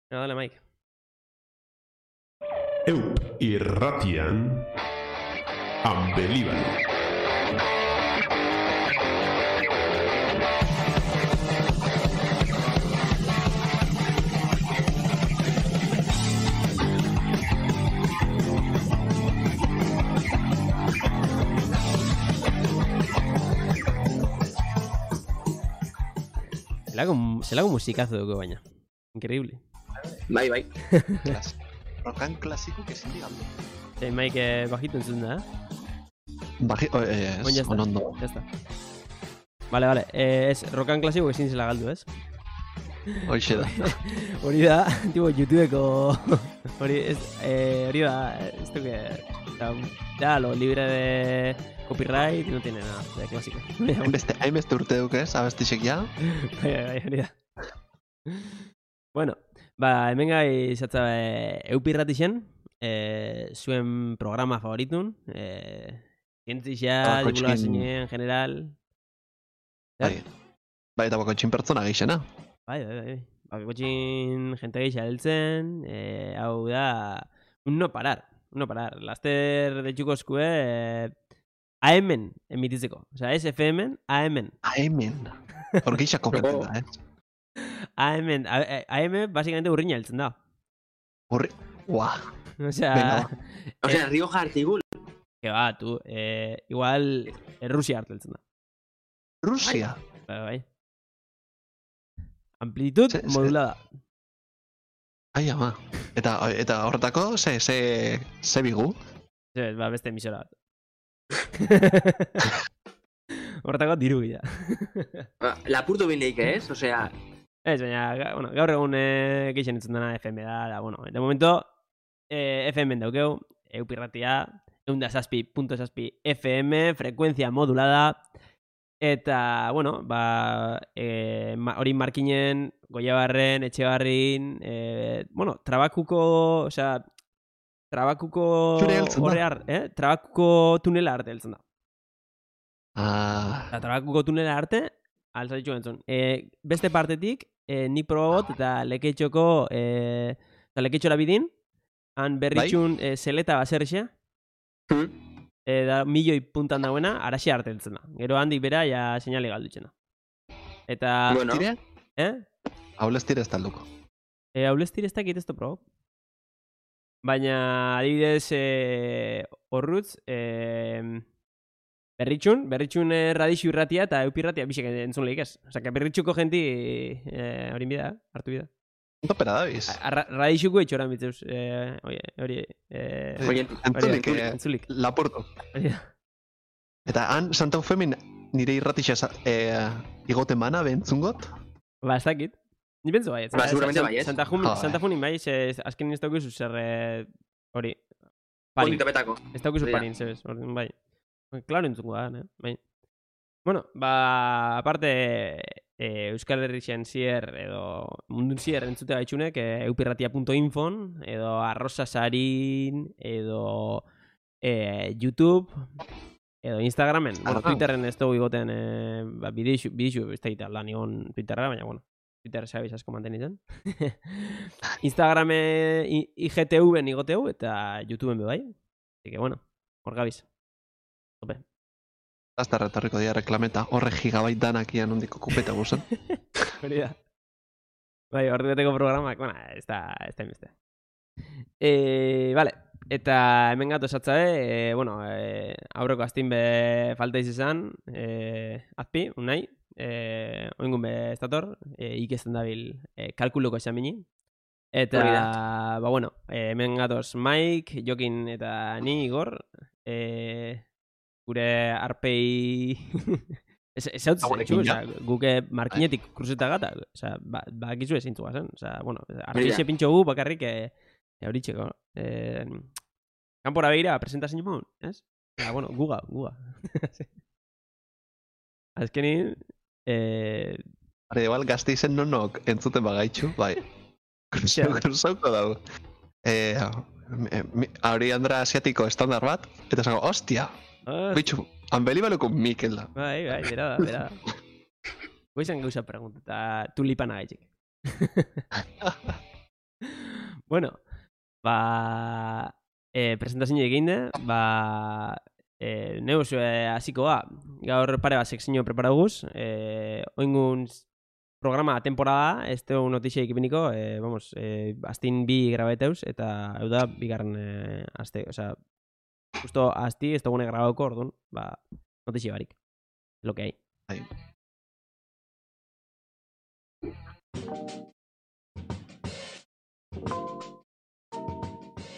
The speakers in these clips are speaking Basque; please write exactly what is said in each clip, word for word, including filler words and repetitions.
Venga, dale, Mike. Eup irratian Unbelievable. Zelako, zelako musikazo dugu baina. Increíble. Bai, bai. Klas. Rokan klasiko que sin digamos. Eh, Mike, eh, bajito entzun da, eh? Baji, oh, eh, Oin, ya es, está. onondo. Ya está. Vale, vale. Eh, es rokan klasiko ezin zela galdu, ez? Hoxe da. Hori da, tipo, YouTubeko... Hori, ez, eh, hori da, ez duke... Ya, ya, lo libre de copyright no tiene nada de clásico. Hainbeste, hainbeste urte dukez, abestixek ja. Bai, bai, hori da. Bueno, ba, hemen gai zatza e, eupirratixen, e, zuen programa favoritun, e, zientzixa, Tabako divulgazioen, en general. Bai. Bai, eta bakotxin pertsona gixena. Bai, bai, bai. Bakotxin jente gehiago heltzen, e, hau da, un no parar, un no parar. Laster de txukozkue, e, A M-en emititzeko. Osea, ez F M-en, A M-en. A M-en. Hor gixak komenten da, eh? A M-en, A M básicamente urriña heltzen da. Horri, ua. Osea, Venga, O sea, Rioja Artigul. que va, tu, eh, igual eh, Rusia harteltzen da. Rusia. Bai, bai. Amplitud Se- se- modulada. Ai, ama. Eta, eta horretako, ze, ze, ze bigu? Ez, ba, beste emisora bat. Hortako diru gila. Lapurtu bindeik, ez? O sea, Ez, baina, ga- bueno, gaur egun eh, geixen entzun dena F M da, da, bueno, de momento eh, F M daukeu, eupirratia, eunda saspi, punto saspi F M, frekuentzia modulada, eta, bueno, ba, eh, ma, hori markinen, Goiabarren, Etxebarrin, eh, bueno, trabakuko, osea, trabakuko Zure heltzen da. horrear, eh? Trabakuko tunela arte heltzen da. Ah, Eta trabakuko tunela arte, altzatitxu entzun. E, beste partetik, e, nik probabot eta leketxoko, e, eta leketxora bidin, han berritxun e, zeleta baserrixe, hm? e, da milioi puntan dauena, araxe arte heltzen da. Gero handik bera, ja seinale galdutxena. Eta, Bueno, tire? eh? Haulez tire ez talduko. E, hauleztir ez dakit ez da probo. Baina, adibidez, e, horrutz, e, berritxun, berritxun eh, radixu irratia eta eupirratia bisek entzun lehik ez. Osa, que berritxuko jenti eh, hori bida, hartu bida. Topera da biz. Radixuko etxora mitzeuz, eh, oie, hori, eh, Oye, Entzulik, hori da, eh, entzulik. Laporto. Hori da. Eta han Santa Eufemin nire irratixa eh, igoten mana bentzungot. Ba, ez dakit. Ni pentsu bai, ez. Ba, seguramente bai, ez? Santa, Jun, Ah, Santa bai. Funin bai, ze, azken ez daukizu zer, eh, hori, Ponik parin. topetako. Ez daukizu Hori da. parin, zebez, orduan, bai. Claro entzungo da, ne? Bai. Bueno, ba, aparte, e, Euskal Herrixen zier, edo mundun zier entzute gaitxunek, e, eupirratia punto infon, edo arrosa sarin, edo e, YouTube, edo Instagramen. Bueno, Ah. Twitterren ez dugu igoten, e, ba, bideixu, bideixu, ez da lan igon Twitterra, baina, bueno, Twitter sabiz asko mantenitzen. Instagrame, I- IGTV-en igoteu, eta YouTubeen be bai. Así que, bueno, hor gabiz. Tope. Hasta retorriko dira reklameta. Horre gigabait danak ian ondiko kupeta guzan. Hori da. Bai, ordeteko programak, bueno, ez da, ez da inbeste. E, vale, eta hemen gato esatzabe, e, bueno, e, aurreko astin be falta izan, e, azpi, unai, e, oingun be estator, e, ikesten dabil e, kalkuluko esan bini. Eta, Hori ba, bueno, e, hemen gatoz Mike, Jokin eta ni Igor, e, gure arpei... Ez hau Haurekin, osea, guke markinetik kruzeta gata, osea, ba, ba gizu ezin zuga zen, osea, bueno, arpeixe pintxo gu bakarrik e, e, horitxeko, e, kanpora behira presentazio mon, ez? Eta, bueno, guga, guga. Azkenin, eh, Hore, igual gazteizen nonok entzuten bagaitxu, bai. Ja. Kruzauko dago. Eh, mi- mi- Hori Andra asiatiko estandar bat, eta zango, hostia, ah, bitxu, Unbelievable-ko Mikel da. bai, bai, bera da, bera da. Goizan gauza pregunta, eta tulipana gaitxik. Bueno, ba... E, presentazio egin de, ba... E, neus e, hasiko ba, gaur pare bat sekzio preparaguz, e, oingun programa temporada, ez teo notixia ikipiniko, e, vamos, e, astin bi grabateuz, eta hau da, bigarren e, aste, osea, justo asti, ez dugune grabauko, orduan, ba, notixia barik, lo que hay. Bai.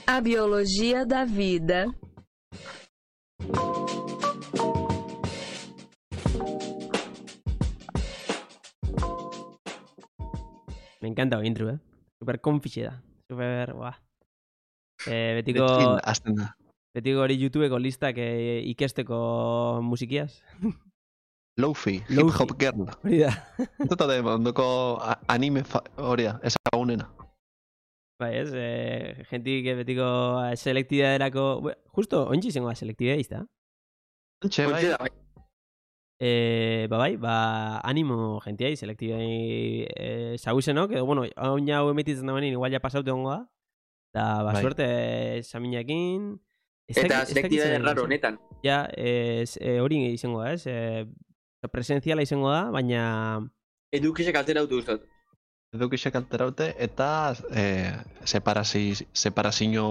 A biologia da vida. Me encanta el intro, eh. Super confixe da. Super, guau. Eh, betiko... Betxin, azten da. Betiko hori YouTubeko listak e, ikesteko musikiaz. Lofi, Lo-fi. hip-hop girl. Hori da. Entota de, ondoko a- anime fa- hori da, ezagunena. Bai, ez, eh, jentik betiko selektibea erako... Justo, ointxe izango da selektibea izta. Ontxe, bai, Ontxe da, bai. Eh, ba bai, ba animo jentiai, selektibei eh, sauzenok, edo bueno, oin hau emititzen da benin, igual ja pasaute ongo da. Da, ba, Bai. suerte saminakin... Ez Eta dakit- ez dakit selektiba zer raro izan. honetan. Ja, ez, e, hori izango da, ez? E, presentziala izango da, baina... Edukisek altera dut uztot. edukisek alteraute eta eh, separasi, separazio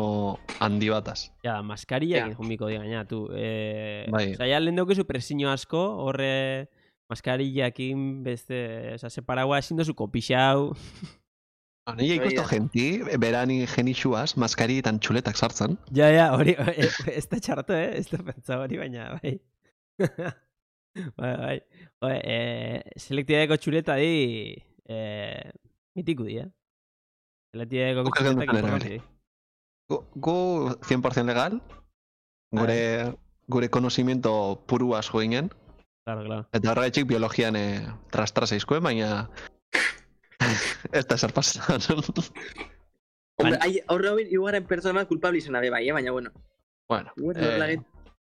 handi bataz. Ja, maskariak Ja. junbiko di gaina, tu. E, Bai. Osa, ja, lehen daukezu presio asko, horre maskariakin beste... Osa, separagua ezin dozu kopixau. Nire ikusto Oia. genti, berani genixuaz, maskarietan txuletak sartzen. Ja, ja, hori, e, ez da txarto, eh? Ez da pentsa hori, baina, bai. bai, bai. Bai, e, selektibeko txuleta di... E, mitiku di, eh? Selektibeko Guk txuletak egiten duten informazio di. Gu, gu cien por ciento legal, gure, gure konocimiento puruaz joinen, Claro, claro. eta horregatik biologian eh, trastra zaizkuen, baina ez da zer pasan. Hombre, hai- horre hori iguaren pertsona bat kulpable izan abe bai, eh? Baina bueno. bueno, Igual eh, horrela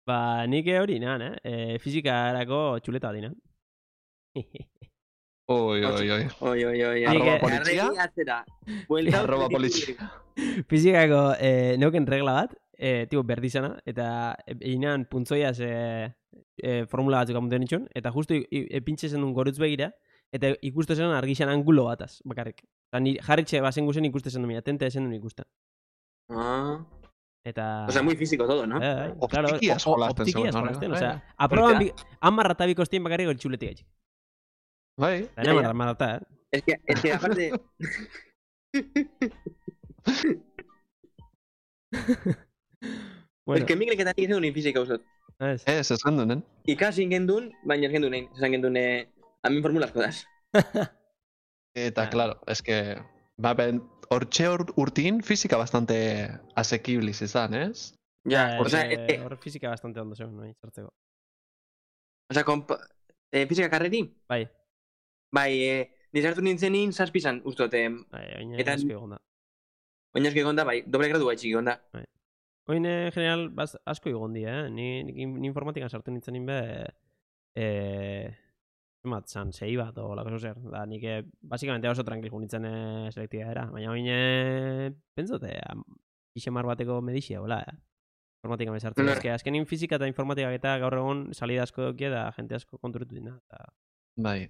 Ba, nik hori nan, eh? E, fizikarako txuleta dina. oi, oi, oi. Oi, oi, oi. Arroba Arregi polizia? atzera. Buelta, Arroba beti- polizia. Fizikako e, neuken regla bat, e, tipo berdizana, eta einan puntzoiaz e, e, formula batzuk amunten itxun, eta justu epintxe zen duen gorutz begira, eta ikuste zen argixan angulo bataz, bakarrik. Eta ni jarritxe bazen guzen ikuste zen duen, atente zen duen ikusten. Ah. Eta... O sea, muy físico todo, ¿no? Eh, eh, claro, Optikiaz o- o- jolasten optikiaz zegoen, jolasten, bai. osea, aproban bi, hamar eta biko estien bakarrik hori txuletik gaitxik. Bai, Eta Ja, nena ja. marrata, eh? Es que, es que aparte... Bueno, Es que Mikel eta nik ez duen fizika uzot. ez. ez, ez gendunen. Ikasi gendun, baina ez gendun egin. Esan gendun, eh, amin formulazko das. Eta, Ah. claro, es que, ba, ben, hortxe ur- urtin fizika bastante asekibliz izan, ez? Ja, Eh, o sea, eh, es que, hor fizika bastante ondo zegoen, nahi, sartzeko. o sea, kompa... Eh, fizika karreri? Bai, Bai, eh, nizartu nintzenin zazpizan, ustot, eh, bai, oin Eta- asko egon da. oinazko egon da, bai, doble gradu gaitxik egon da. Oin, eh, general, baz, asko egon di, eh? Ni, ni, ni informatikan sartu nintzen ninbe, eh, zemat, zan, sei bat, o lako zer. Da, nik, eh, basikamente oso tranquil nintzen eh, selektiba era. Baina oin, eh, pentsote, ixemar bateko medixia, hola, eh? Informatika me sartu. Bai. Eske, azkenin fizika eta informatikak eta gaur egun salida asko dokia da jente asko konturetu dina. Eta, Bai.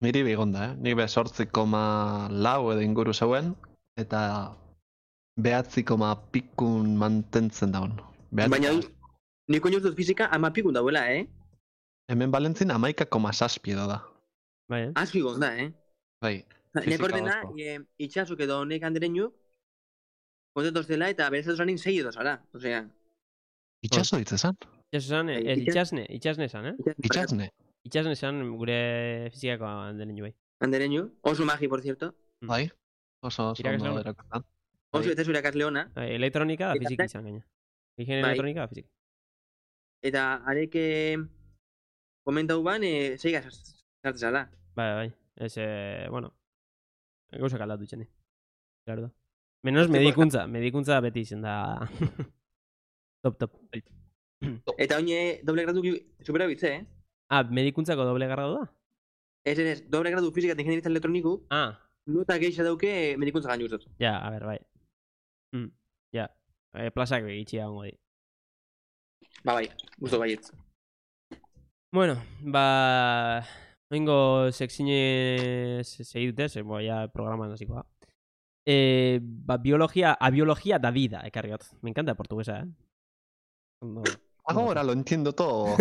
Niri begonda, eh? Nik be sortzi koma lau edo inguru zeuen, eta behatzi koma pikun mantentzen daun. Behatzi- Baina, nik oinuz dut fizika ama pikun dauela, eh? Hemen balentzin amaika koma zazpi edo da. bai, eh? Asko egon da, eh? Bai, Nek Fizika ordena, oso. e, itxasuk edo honek andereinu, kontentos dela eta berezatu zanin sei edo zara. Osea, itxaso hitz esan? Itxaso zan, Bai, ez, itxas- itxasne, itxasne zan, eh? Itxasne. Itxasne zan gure fizikako handelen bai. Andereinu, oso magi, por cierto. Bai, oso oso Irakasle ondo ona. erakusten. Oso Bai. eta zure irakasle ona. Bai, elektronika da Eta fiziki tek- izan gaina. Higiene Bai. elektronika da fiziki. Eta areke komentau ban, e, zeiga sartzen zala. Bai, bai. Ez, eh, bueno, gauzak aldatu itxene. Claro da. Menos medikuntza, medikuntza beti izen da. top, top. Eta oine doble gradu supera bitze, eh? Ah, medikuntzako doble gradu da? Ez, ez, ez, doble gradu fizika eta ingenieritza elektroniku, Ah, nota geixa dauke medikuntza gainu uzot. ja, a ber, bai. Mm, ja, e, plazak begitxia gongo di. Ba, bai, gusto baietz. Bueno, ba... Oingo sekzine segi dute, ze, bo, ja, programan hasikoa. Eh, ba, biologia, a biología da vida, ekarriot. Me encanta portuguesa, eh? Ondo, ondo. Ahora lo entiendo todo.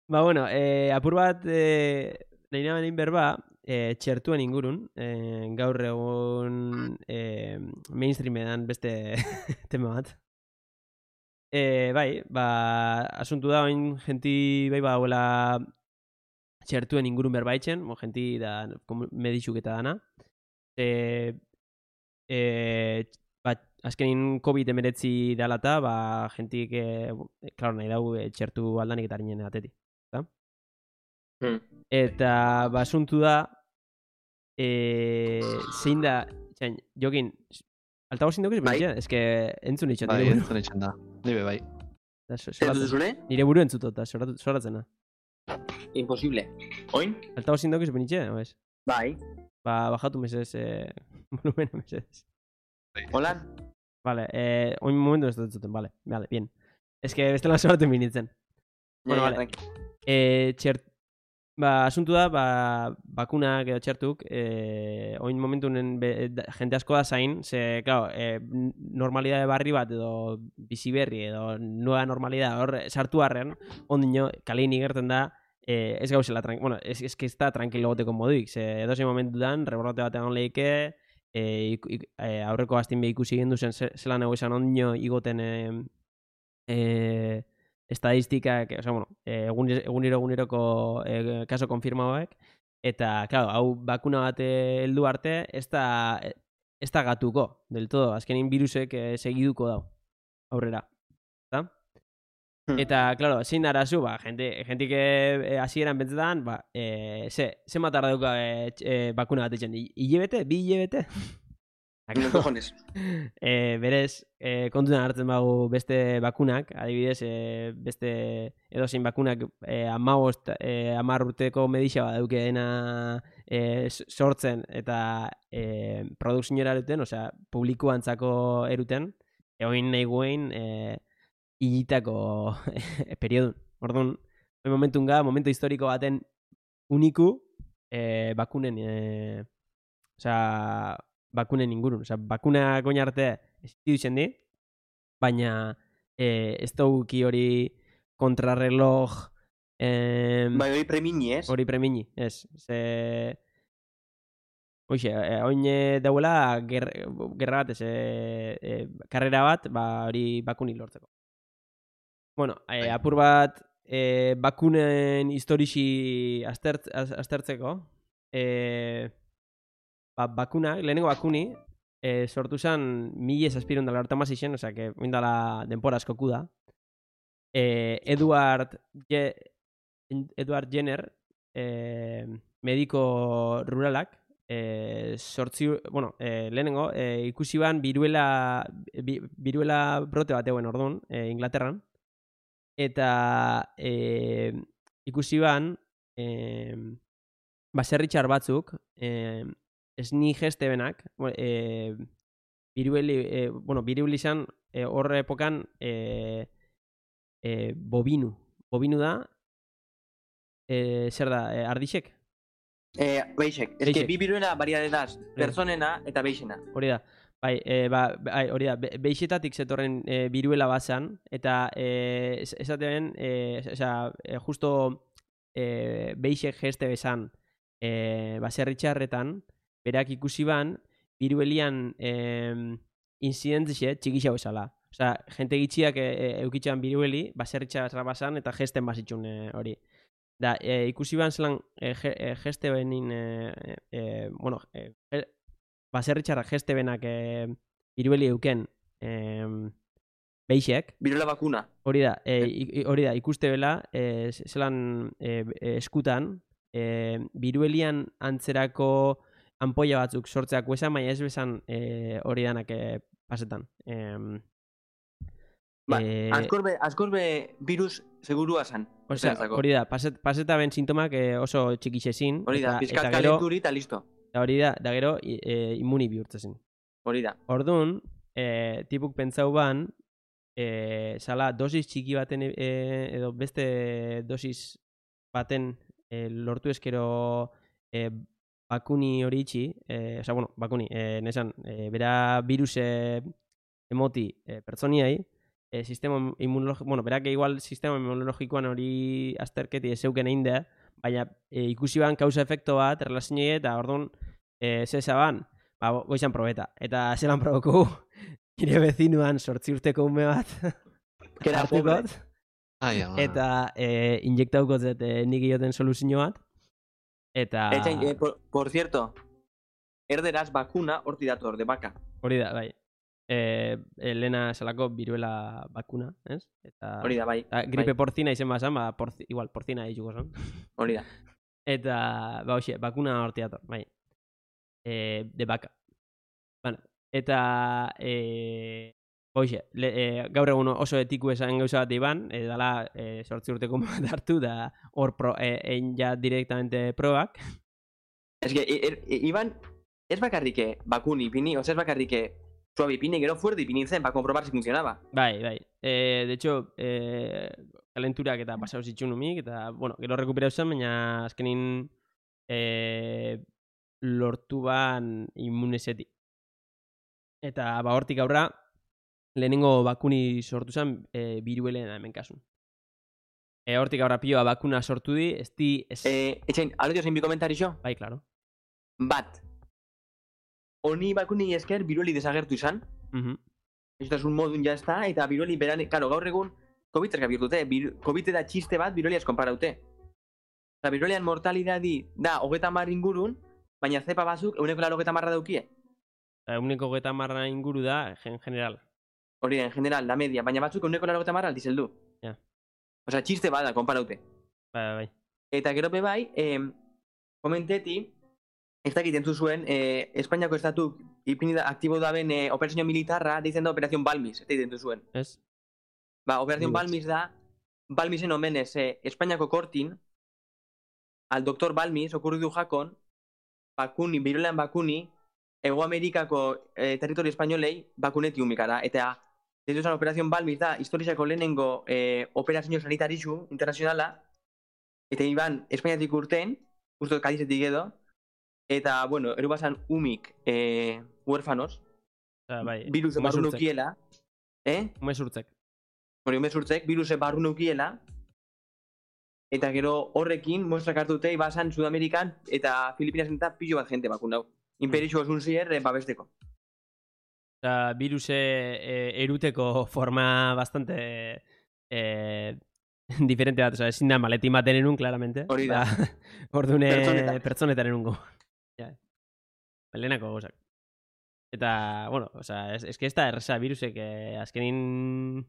Ba, bueno, eh, apur bat, eh, nahi nahi berba, eh, txertuen ingurun, eh, gaur egun eh, mainstreamean beste tema bat. Eh, bai, ba, asuntu da, oin genti, bai, ba, huela txertuen ingurun berbaitzen, bo, genti da, medixuk eta dana. Eh, eh, ba, azkenin COVID emeretzi dalata, ba, gentik, eh, klaro, nahi dau, eh, txertu aldanik eta harinen atetik. Hmm. Eta basuntu da eh, zein da txain, jokin altagozin dugu Bai. ez que entzun itxot Bai, nire buru. entzun itxen da. Nibe bai. Da, so- Zer soratzen. duzune? Nire buru entzutot da, soratu- soratzen da. Imposible. Oin? Altagozin dugu izan itxe, o ez? Bai. Ba, bajatu mesez eh, volumena mesez. Holan? Vale, eh, oin momentu ez dut entzuten, vale, vale, bien. Ez que bestela soratzen binitzen. Bueno, Ja, ja, vale. tranqui. Eh, txert, ba, asuntu da, ba, bakunak edo txertuk, eh, oin momentunen be, da, jente asko da zain, ze, claro, eh, n- normalidade barri bat edo bizi berri edo nueva normalidad hor sartu arren, ondino, kalein igerten da, eh, ez gauzela, tran- bueno, ez, ez que ez da tranquilo goteko moduik, ze edozein momentutan, rebrote bat egon lehike, eh, ik, ik, eh, aurreko astin be ikusi gendu zen ze- zelan ego izan ondino igoten eh, eh, estadistikak, o sea, bueno, eh, egun, egunero eguneroko eh, kaso konfirmauek, eta, claro, hau bakuna bat eh, heldu arte, ez da, ez da gatuko, del todo, azkenin virusek eh, segiduko dau, aurrera, eta? Hmm. Eta, claro, zein da arazu, ba, jente, jentik eh, hasieran bentzetan, ba, eh, ze, ze matarra duka eh, tx- eh, bakuna bat etxen, hilebete, bi hilebete? No cojones. E, berez, e, kontutan hartzen bagu beste bakunak, adibidez, e, beste edozein bakunak e, amabost, e, amar urteko medixa bat daukeena e, s- sortzen eta e, produkziora eruten, osea, publikoantzako eruten, egoin nahi guen e, hilitako periodun. Orduan, hori momentun ga, momento historiko baten uniku e, bakunen, e, osea, bakunen ingurun. Osea, bakunak oin arte existidu di, baina eh, ez dauki hori kontrarreloj eh, Bai, hori premini, ez? hori premini, ez. Ze... Hoxe, eh, oin eh, dauela ger, gerra bat, ez, eh, eh, karrera bat, ba, hori bakunik lortzeko. Bueno, eh, apur bat eh, bakunen historixi aztert, az- aztertzeko, eh, ba, bakuna, lehenengo bakuni, e, sortu zen mila zazpiron dela horta mazixen, osea, que oindala denpora askoku da. E, Edward, Je, Edward Jenner, e, mediko ruralak, e, sortzi, bueno, e, lehenengo, e, ikusi ban biruela, bi, biruela brote bat egoen orduan, e, Inglaterran, eta e, ikusi ban, e, baserritxar batzuk, e, esni geste benak, e, birueli, e, bueno, birueli izan e, horre epokan e, e, bobinu. Bobinu da, e, zer da, e, ardixek? Eh, beixek. Ez que Beixek. bi biruena variedadaz, personena eta beixena. Hori da. Bai, e, ba, bai, hori da, be, beixetatik zetorren e, biruela bazan, eta e, es- esaten, e, osea, e, justo e, beixek geste bezan e, baserritxarretan, berak ikusi ban, biruelian e, incidentzixe txikixau bezala. Osea, jente gitxiak e, e, eukitxan birueli, baserritxarra bazan, eta gesten bazitxun e, hori. Da, e, ikusi ban zelan e, ge, e, geste benin, e, e, bueno, e, ge- baserritxarra geste benak e, birueli euken e, beixek, Biruela bakuna. hori da, e, i- hori da, ikuste bela, e, zelan e, e, eskutan, e, biruelian antzerako ampolla batzuk sortzeak esan, baina ez bezan e, hori danak e, pasetan. E, Ba, e, askorbe, askorbe virus segurua zan. osea, esanentzako. hori da, paset, paseta ben sintomak e, oso txikixezin. Hori da, eta, pizkat eta gero, kalenturi eta listo. eta hori da, da gero i- e, immuni bihurtzezin. Hori da. Orduan, e, tipuk pentsau ban, e, sala dosis txiki baten e, edo beste dosis baten e, lortu eskero e, bakuni hori itxi, e, oza, bueno, bakuni, e, nesan, e, bera viruse emoti e, pertsoniai, e, sistema inmunologiko, bueno, berak igual sistema inmunologikoan hori azterketi ezeuken egin da, baina e, ikusi ban kausa-efekto bat, relazionei eta orduan, e, zesa ban, ba, goizan probeta. Eta zelan proboko, nire bezinuan sortzi urteko ume bat, Kera pobre. hartukot, Ai, ama. eta e, injektaukot zet e, nik ioten soluzio bat, eta Etxain, eh, por, por cierto, erderaz bakuna horti dator, de baka. hori da, bai. E, e, lehena esalako biruela bakuna, ez? Eta, Hori da, bai. eta gripe bai. porzina izen bazan, ba, porzi, igual, porzina dituko zan. Hori da. Eta, ba, hoxe, bakuna horti dator, bai. E, de baka. Bueno, eta, e, hoxe, le, e, gaur egun oso etiku esan gauza bat iban, e, dala e, sortzi urteko bat hartu, da hor pro, e, egin ja directamente probak. Ez que, er, er, Iban, ez bakarrike bakuni ipini, oza ez bakarrike suabe ipini, gero fuerte ipini zen, para comprobar si funcionaba. Bai, bai. E, de hecho, e, kalenturak eta pasau zitxun umik, eta, bueno, gero rekuperau zen, baina azkenin e, lortu ban immunesetik. Eta, ba, hortik aurra, lehenengo bakuni sortu zen e, biruelena hemen kasun. E, hortik aurra pioa bakuna sortu di, ez di... Ez... Eh, etxain, alodio zein bi komentarixo? Bai, claro. Bat, honi bakuni esker birueli desagertu izan, Mhm. un modun ja está, eta birueli beran, claro, gaur egun COVID erka birtute, bir, COVID eta txiste bat birueliaz konparaute. Eta biruelian mortalidadi da hogeta mar ingurun, baina zepa bazuk euneko laro hogeta marra daukie. Euneko geta marra inguru da, en general. Hori da, en general, la media, baina batzuk euneko laro hogeta marra aldizeldu. Ja. Osea, txiste bada, konparaute. Bai, bai. Eta gero be bai, eh, komenteti, ez dakit entzu zuen, eh, Espainiako estatu ipini da, aktibo da ben eh, operazio militarra, deitzen da Operación Balmis, ez entzu zuen. Ez? Ba, Operación Bai. Balmis da, Balmisen omenez, eh, Espainiako kortin, al doktor Balmis, okurridu jakon, bakuni, birulean bakuni, Ego Amerikako eh, territorio espainolei bakuneti umikara. Eta, deitu zen Operación Balmis da, historiako lehenengo eh, operazio sanitarizu internazionala, eta iban Espainiatik urten, justo Kadizetik edo, eta, bueno, eru basan umik eh, huérfanos, Osea, bai. viruse barru umezurtzek. nukiela, eh? Umezurtzek. Hori umezurtzek, viruse barru nukiela, eta gero horrekin muestrak hartute ibasan Sudamerikan eta Filipinas eta pilo bat jente bakunau. Imperixo osun zier, eh, babesteko. Osea, viruse e, eruteko forma bastante e, diferente bat, osea, ezin da maletin baten erun, claramente. Hori da. Ba, Ordune Pertsonetan. pertsonetan erungo. Ja. Lehenako gauzak. Eta, bueno, osea, es, es que ez da erresa virusek, eh, azkenin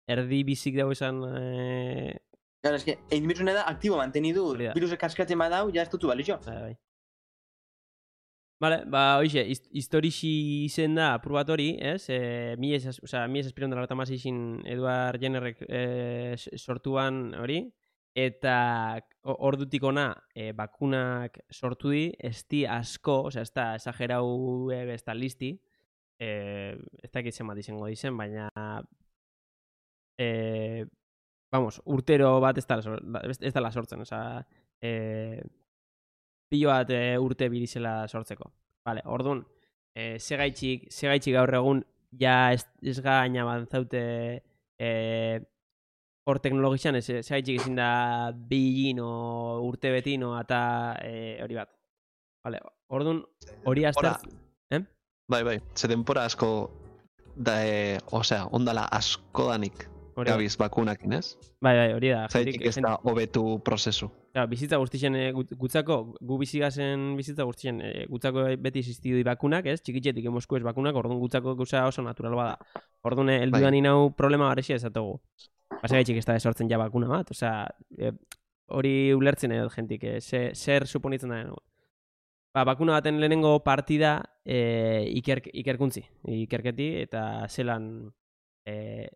erdi bizik dago esan... Eh, Claro, es que egin biruzune da aktibo mantenidu, Hori da. virusek kaskatzen badau, ja ez dutu balixo. bai, bai. Vale, ba, hoxe, hist historixi izen da apur bat hori, ez? E, mi ez, osea, mi ez espiron dela eta mazixin Edward Jennerrek e, sortuan hori, eta o- ordutik ona e, bakunak sortu di, ez di asko, osea, ez da esagerau e, ez da listi, e, ez dakit zenbat izango dizen, baina e, vamos, urtero bat ez da, ez da la sortzen, osea, e, pilo bat e, urte birizela sortzeko. Vale, orduan, e, segaitxik, segaitxik gaur egun ja ez, ez gaina banzaute e, hor teknologizan, ez, segaitxik ezin da bilin o urte betin o eta e, hori bat. Vale, orduan, hori Ora, azter... Eh? bai, bai, ze denpora asko, da, e, osea, ondala asko danik Hori da. gabiz bakunakin, ez? Bai, bai, hori da. Zaitik jentik- ez da hobetu prozesu. Claro, bizitza guztien e, gut- gutzako, gu bizigazen bizitza guztien e, gutzako beti existidu di bakunak, ez? Txikitxetik emosku ez bakunak, orduan gutzako gauza oso natural bada. Orduan, eh, heldu Bai. da ninau problema garexia ezatugu. Pasagaitxik ez da esortzen ja bakuna bat, osea, e, hori ulertzen edo jentik, e, ze, zer suponitzen da denugu. Ba, bakuna baten lehenengo partida e, iker, ikerkuntzi, ikerketi, eta zelan, e,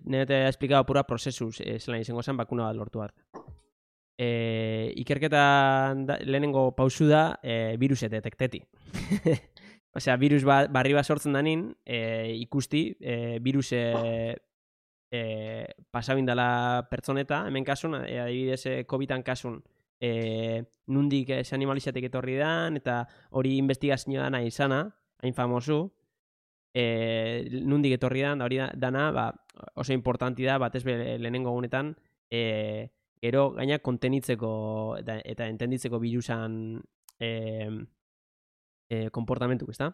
nire te esplikado pura prozesuz, e, zelan izango zen bakuna bat lortu arte. E, ikerketan da, lehenengo pausu da e, viruse detekteti. osea, virus ba, barri bat sortzen danin, e, ikusti, e, virus e, e, pasabindala pertsoneta, hemen kasun, e, adibidez, e, covidan kasun, e, nundik ez animalizatik etorri dan, eta hori investigazioa dana izana, hain famosu, e, nundik etorri dan, da hori dana, ba, oso importanti da, batez be lehenengo gunetan, e, gero gaina kontenitzeko eta, eta entenditzeko virusan e, e, komportamentuk, ezta?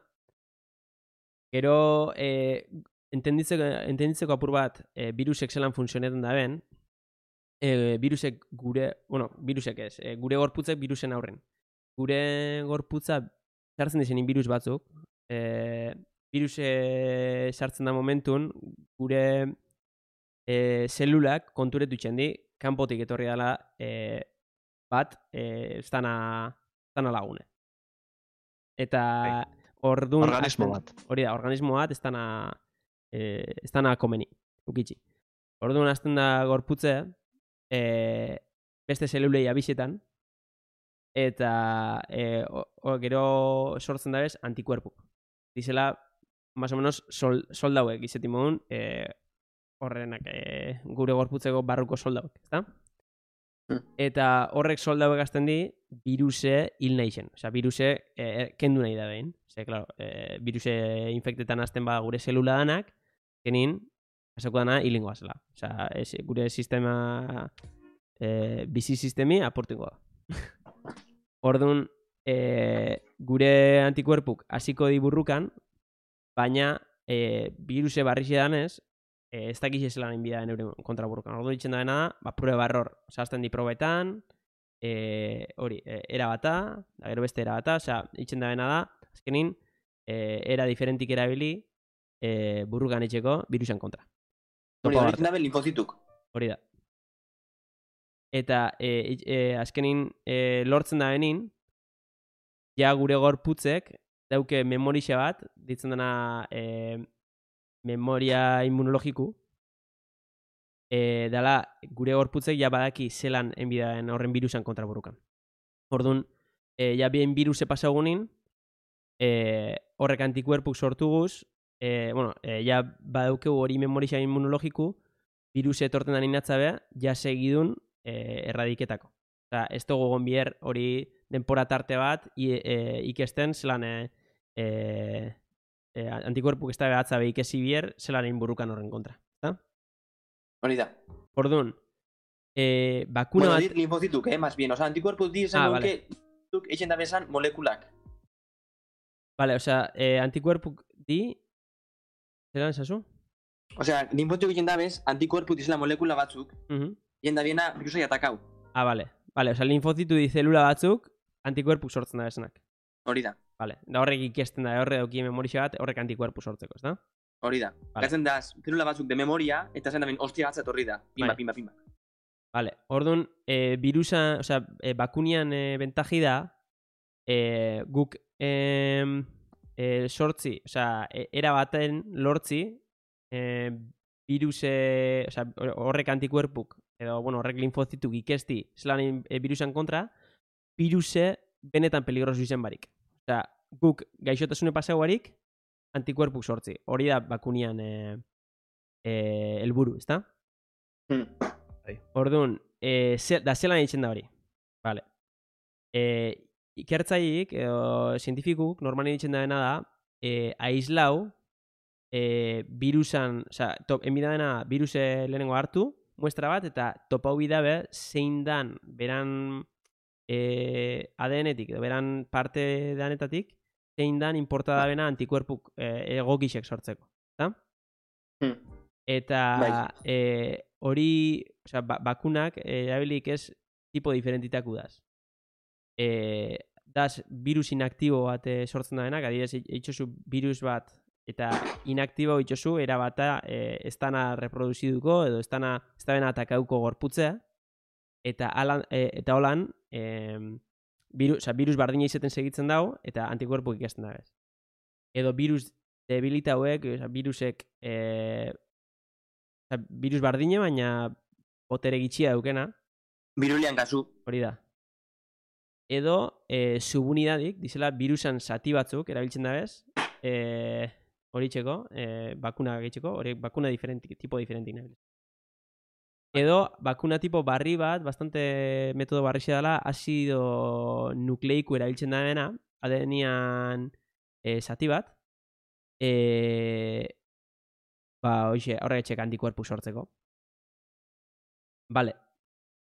Gero, e, entenditzeko, entenditzeko apur bat, e, virusek zelan funtzionetan da ben, e, virusek gure, bueno, virusek ez, e, gure gorputzek virusen aurren. Gure gorputza sartzen dizenin virus batzuk, e, viruse sartzen da momentun, gure e, zelulak konturetu itxendi, kanpotik etorri dela e, bat, e, ez dana lagune. Eta ordun Organismo bat. Hori da, organismo bat ez dana e, ez dana komeni, ukitxi. Orduan hasten da gorputze e, beste zelulei abisetan eta e, o, o, gero sortzen da bez antikuerpuk. Dizela, más o menos, sol, soldauek izetin modun, e, horrenak e, gure gorputzeko barruko soldauek, ezta? Eta horrek soldauek azten di, viruse hil nahi zen. Osea, viruse e, kendu nahi da behin. Ze, claro, e, viruse infektetan azten ba gure zelula danak, kenin, pasako dana hilingoa zela. Osea, ez, gure sistema, e, bizi sistemi aportingoa. Orduan, e, gure antikuerpuk hasiko di burrukan, baina e, viruse barrixe danez, e, ez dakiz ezela nahin bida euren kontraburrukan. Orduan ditzen da dena, ba, prueba error. Osea, azten di probetan, e, hori, e, era bata, da gero beste era bata, osea, ditzen da dena da, azkenin, e, era diferentik erabili, e, burrukan itxeko virusen kontra. Hori, hori ditzen da ben linfozituk. Hori da. Eta e, e, azkenin e, lortzen da benin, ja gure gorputzek dauke memorixe bat, ditzen dena e, memoria immunologiku, e, dala gure gorputzek ja badaki zelan enbidaen horren virusan kontra burrukan. Orduan, e, ja bien viruse pasagunin, e, horrek antikuerpuk sortuguz, e, bueno, e, ja badaukeu hori memorixa immunologiku, viruse etorten da ninatzabe, ja segidun e, erradiketako. Osa, ez dugu egon bier hori denpora tarte bat i, e, ikesten zelan e, e, e, antikuerpuk ez da behatza be ikesi bier zelan egin burrukan horren kontra. Eta? Hori da. Orduan, e, bakuna bueno, bat... dit linfozituk, eh, más bien. Osa, antikuerpuk di esan ah, duke, vale. eixen da bezan molekulak. Vale, osea, e, antikuerpuk di... Zeran esazu? Osea, linfozituk eixen da bez, antikuerpuk dizela molekula batzuk, Uh -huh. eixen da biena virusai atakau. Ah, vale. Vale, osea, linfozitu di zelula batzuk antikuerpuk sortzen da besanak. Hori da. Vale, da horrek ikesten da, horre dauki memorixa bat, horrek antikuerpu sortzeko, ez da? Hori da. Vale. Gatzen da, zelula batzuk de memoria, eta zen da ben, ostia gatzat horri da. Pimba, Bai. pimba, pimba. Vale, orduan, e, virusa, osea, e, bakunian e, bentaji da, e, guk e, e, sortzi, osea, e, era baten lortzi, e, viruse, osea, horrek antikuerpuk, edo, bueno, horrek linfozituk ikesti, zelan e, virusan kontra, viruse benetan peligrosu izen barik. Osea, guk gaixotasune pasau barik, antikuerpuk sortzi. Hori da bakunian e, e, elburu, ezta? Hmm. Orduan, e, ze, da zelan egiten da hori. Vale. E, ikertzaiik, edo zientifikuk, normalen egiten da dena da, e, aizlau, e, virusan, osea, top, enbida dena viruse lehenengo hartu, muestra bat, eta topau bidabe zein dan, beran e, A D N-etik, edo beran parte danetatik, zein dan importada bena antikuerpuk e, egokixek sortzeko. Eta? Hmm. Eta e, hori, osea, ba, bakunak erabilik ez tipo diferentitaku daz. E, daz virus inaktibo bat e, sortzen da benak, adibidez, itxosu virus bat eta inaktibo itxosu erabata e, ez dana reproduziduko edo ez dana ez da bena atakauko gorputzea eta alan, e, eta holan e, virus, oza, virus bardina izaten segitzen dago eta antikuerpuk ikasten da bez. Edo virus debilita hauek, oza, virusek e, oza, virus bardine baina botere gitxia daukena. Virulian kasu. Hori da. Edo e, subunidadik, dizela virusan zati batzuk erabiltzen da bez, eh, hori txeko, eh, bakuna gehitzeko, hori bakuna diferenti, tipo diferentik nabil. Edo, bakuna tipo barri bat, bastante metodo barri dela, azido nukleiku erabiltzen da dena, adenian eh, zati bat, eh, ba, hoxe, horrek etxek antikuerpu sortzeko. Vale.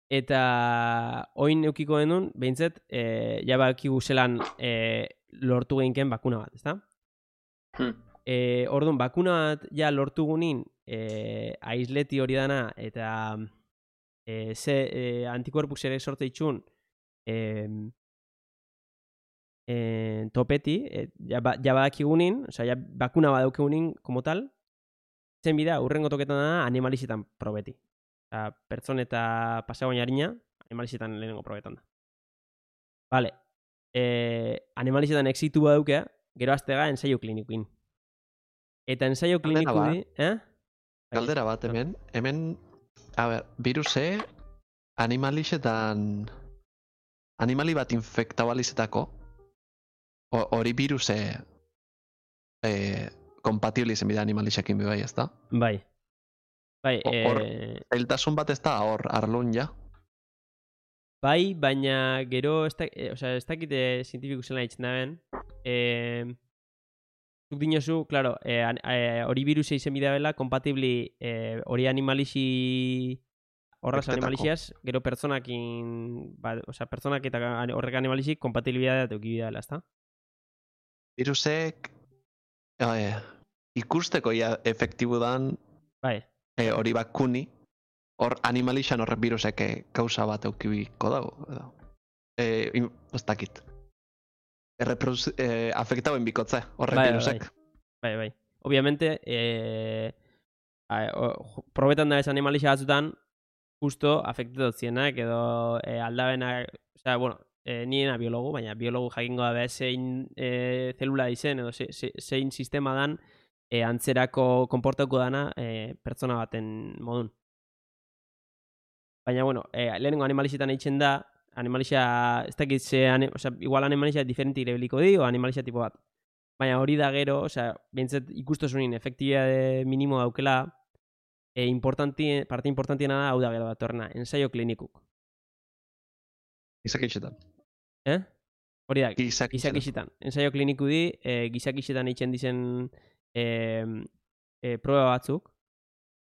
Eta oin eukiko denun, behintzet, e, ja bakigu zelan e, lortu geinken bakuna bat, ezta? Hmm. E, orduan, bakuna bat ja lortu gunin e, aisleti hori dana eta e, ze e, antikuerpuk zere sortze itxun e, e, topeti, e, ja, ba, ja badakigunin, oza, ja bakuna badaukegunin como tal, zen bida, urrengo toketan da animalizetan probeti. Oza, pertson eta pasagoin harina, animalizetan lehenengo probetan da. Vale. Eh, animalizetan exitu badauke, gero aztega ensaio klinikuin. Eta ensaio kliniku di... Eh? Galdera bat, hemen, hemen, a ber, viruse animalizetan, animali bat infektau alizetako, hori viruse eh, kompatibli zen bida animalizekin bai, ez da? Bai. Bai, Hor, eh, zailtasun bat ez da, hor, arlun ja. bai, baina gero, ez da, eh, o sea, ez dakite zientifiku zela ditzen da ben, eh, zuk dinozu, claro, eh, an- eh, hori virusa izen bidea bela, kompatibli eh, hori animalixi, horraz Infektako. animalixiaz, gero pertsonakin, ba, o sea, pertsonak eta an- horrek animalixik kompatibilidadea teuki bidea dela, ez da? Virusek eh, ikusteko ja efektibu dan Bai, eh, hori bakuni, hor animalixan horrek virusek eh, kausa bat eukibiko dago. edo. Eh, in- ez dakit. Erreproduzi, eh, afektauen bikotze, horrek Bai, bai, virusek. bai, bai. Obviamente, eh, a, o, jo- probetan da ez animalixa batzutan, justo afektatot zienak, edo eh, aldabenak, osea, bueno, eh, niena biologu, baina biologu jakingo da behar zein eh, zelula izen, edo ze, ze, zein sistema dan eh, antzerako konportauko dana eh, pertsona baten modun. Baina, bueno, eh, lehenengo animalixetan eitzen da, animalixa, ez dakit ze, ani, osea, igual animalixa diferente irebeliko di, o animalixa tipo bat. Baina hori da gero, osea, behintzat ikustosunin efektibidade minimo daukela, e, importanti, parte importantiena da, hau da gero datorrena, ensaio klinikuk. Izakitxetan. Eh? Hori da, Gizakitxetan. gizakixetan. Ensaio kliniku di, e, gizakixetan eitzen dizen e, e, proba batzuk.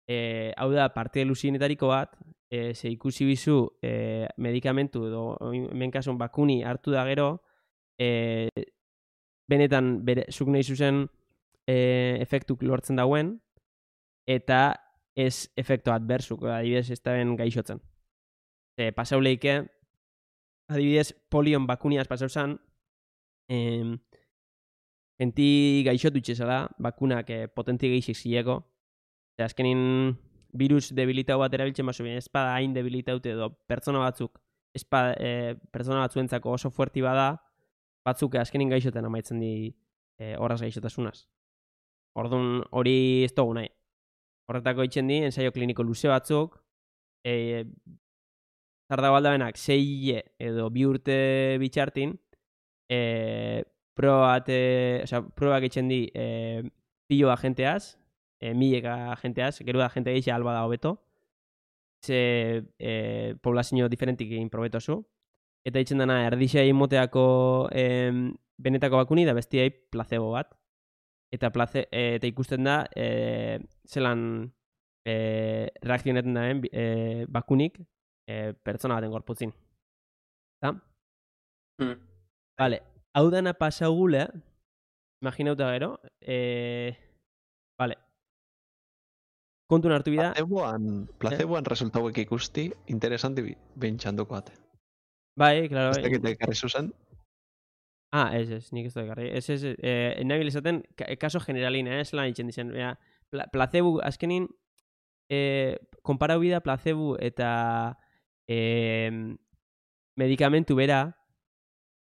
E, hau da, parte luzinetariko bat, e, ze ikusi bizu e, medikamentu edo hemen kasun bakuni hartu da gero, e, benetan bere, zuk nahi zuzen e, efektuk lortzen dauen, eta ez efektu adbersuk, adibidez ez da ben gaixotzen. E, pasau leike, adibidez polion bakuniaz pasau zan, em, genti gaixotu itxezala, bakunak eh, potentia geixik zileko, eta azkenin virus debilitau bat erabiltzen baso bien, ez bada hain debilitaute edo pertsona batzuk, ez bada, eh, pertsona batzuentzako oso fuerti bada, batzuk azkenin gaixoten amaitzen di eh, horraz gaixotasunaz. Orduan hori ez dugu nahi. Horretako itxen di, ensaio kliniko luze batzuk, e, zardago aldabenak sei hile edo bi urte bitxartin, e, proba bat, e, osea, probak itxen di e, pilo agenteaz, e, mileka agenteaz, gero da agente geixa alba da hobeto, ze e, poblazio diferentik egin probetozu, eta itxen dana erdixai moteako e, benetako bakuni da bestiai placebo bat. Eta, place, e, eta ikusten da, e, zelan e, reakzionetan daen e, bakunik e, pertsona baten gorputzin. Eta? Hmm. Vale, hau dana pasau gule, imaginauta gero, e, vale, kontun hartu bida, Placeboan, placeboan resultauek ikusti, interesanti bi- bintxanduko ate. bai, klaro, Ez dakit ekarri zuzen, ah, ez, ez, nik ez da ekarri, ez, ez, eh, nabil esaten, ka, kaso generalin, eh, zelan itxen dizen, bera, pla, placebo, azkenin, eh, konparau bida placebo eta eh, medikamentu bera,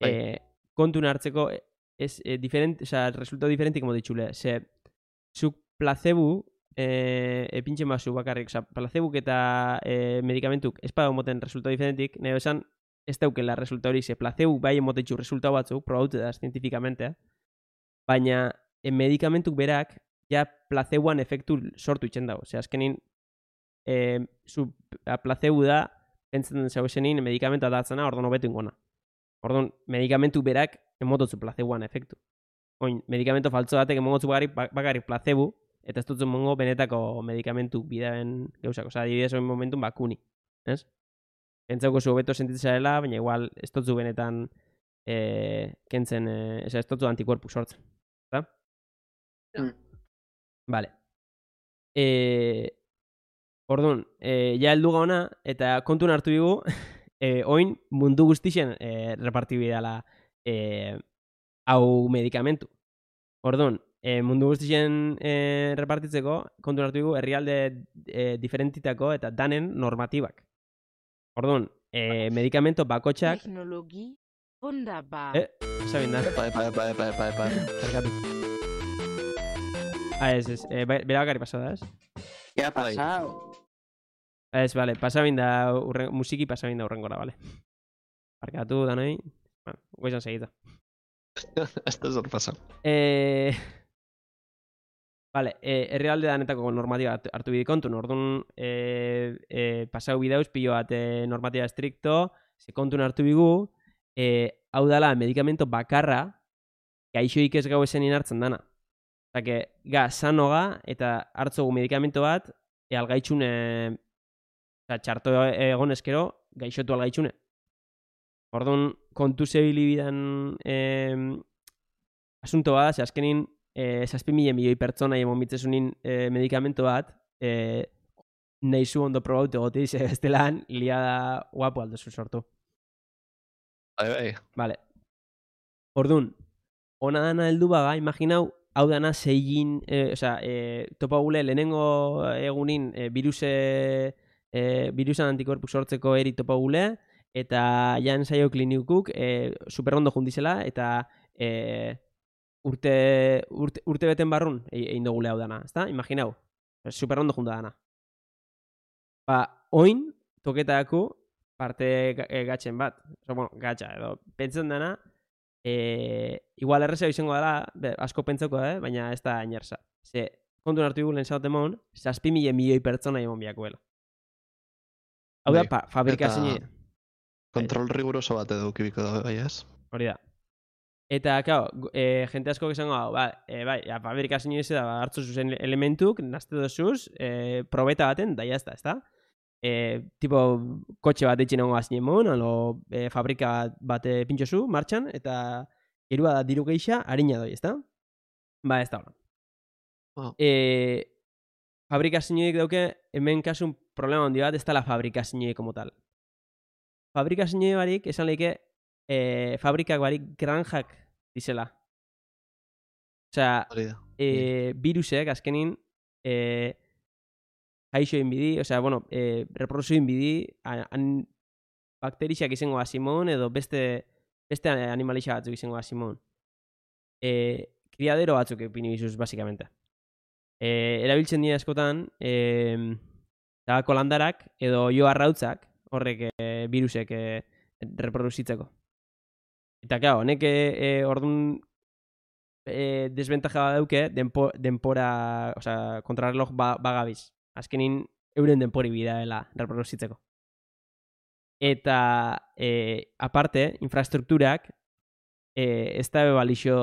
Bai. eh, kontun hartzeko, ez, eh, diferent, o sea, resultado diferente como ditxule, ze, zuk placebo, eh, epintxen basu bakarrik, oza, placebuk eta eh, medikamentuk ez bada moten resultado diferentik, nahi esan, ez daukela resulta hori, ze placebo bai emotetxu resultado batzuk, probaute da, zientifikamente, baina e, medikamentuk berak ja placeboan efektu sortu itzen dago. Osea, azkenin e, zu, placebo da pentsatzen zauzenin medikamentua datzena orduan hobetu ingona. Orduan, medikamentu berak emototzu placeboan efektu. Oin, medikamento faltzo batek emototzu bakarrik, bakarrik placebo, eta ez dutzu mongo benetako medikamentu bidaen gauzak. Osea, adibidez, oin momentun bakuni. Ez? Pentsauko zu hobeto sentitzarela, baina igual ez dutzu benetan e, kentzen, e, ez dutzu antikuerpuk sortzen. Eta? Mm. Vale. E, orduan, e, ja heldu gauna, eta kontun hartu dugu, e, oin mundu guztixen e, repartibidala e, hau medikamentu. Orduan, e, mundu guztixen e, repartitzeko, kontun hartu dugu, herrialde e, diferentitako eta danen normatibak. Orduan, e, medikamento bakotxak... Technologie wunderbar. Eh, pasa binda. Epa, epa, epa, epa, epa, epa. Zergatu. Ah, ez, ez. E, bera bakari pasada, ez? ¿Qué ha pasado? Ez, vale, pasa binda, urren, musiki pasa binda urrengora, vale. Parkatu, danoi. Bueno, goizan segita. Ez da zor pasa. Eh... Vale, eh, herrialde danetako normatiba hartu bide kontun, orduan eh, eh, pasau bidauz pilo bat eh, normatiba estricto, ze kontun hartu bigu, eh, hau dala medikamento bakarra gaixoik ez gau esenin hartzen dana. Eta que, ga, sanoga eta hartzogu medikamento bat, e, algaitxune, oza, txarto egon eskero, gaixotu algaitxune. Orduan, kontu zebilibidan eh, asunto bat, ze azkenin, Eh, zazpi mila milioi pertsona emon mitzesunin eh, medikamento bat eh, nahi zu ondo probaute gotiz, eh, bestelan liada guapo aldozu sortu. Bai, bai. Vale. Orduan, ona dana heldu baga, imaginau, hau dana zeigin, eh, oza, eh, topa gule lehenengo egunin eh, viruse, eh, virusan antikorpuk sortzeko eri topa gule, eta jan zaio klinikuk eh, superrondo jundizela, eta eh, urte, urte, urte beten barrun egin dugule hau dana, ezta? Imaginau, super ondo junta dana. Ba, oin, toketako parte gatzen bat. Oso, bueno, gatza, edo, pentsen dana, e, igual errezea izango dela, be, asko pentsako, eh? Baina ez da inerza. Ze, kontu hartu dugu lehen zauten mon, zazpi mila milioi pertsona emon biakuela. Hau da, pa, fabrikazio. Kontrol riguroso bat edo kibiko da, bai ez? Hori da. Eta, claro, e, jente asko izango hau, ba, e, bai, ja, fabrikazio ez da, hartzu zuzen elementuk, nazte dozuz, e, probeta baten, da jazta, ez da? E, tipo, kotxe bat eitxin hongo azinen mon, alo, e, fabrika bat e, pintxozu, martxan, eta irua da diru geixa, harina doi, ez da? Ba, ez da hori. Oh. E, fabrikazioik dauke, hemen kasun problema handi bat, ez da la fabrikazioik como tal. Fabrikazio barik, esan lehike, E, fabrikak barik granjak dizela. Osea, e, virusek azkenin e, jaixo inbidi, osea, bueno, e, reproduzio inbidi, an, bakterixak izango asimon, edo beste, beste animalixa batzuk izango asimon. E, kriadero batzuk epini bizuz, basikamente. E, erabiltzen dira askotan, e, tabako landarak, edo jo arrautzak, horrek e, virusek e, reproduzitzeko. Eta, claro, honek e, e, orduan e, desventaja dauke denpo, denpora, osea, kontrarreloj ba, bagabiz. Azkenin euren denpori bidaela reproduzitzeko. Eta, e, aparte, infrastrukturak e, ez da balixo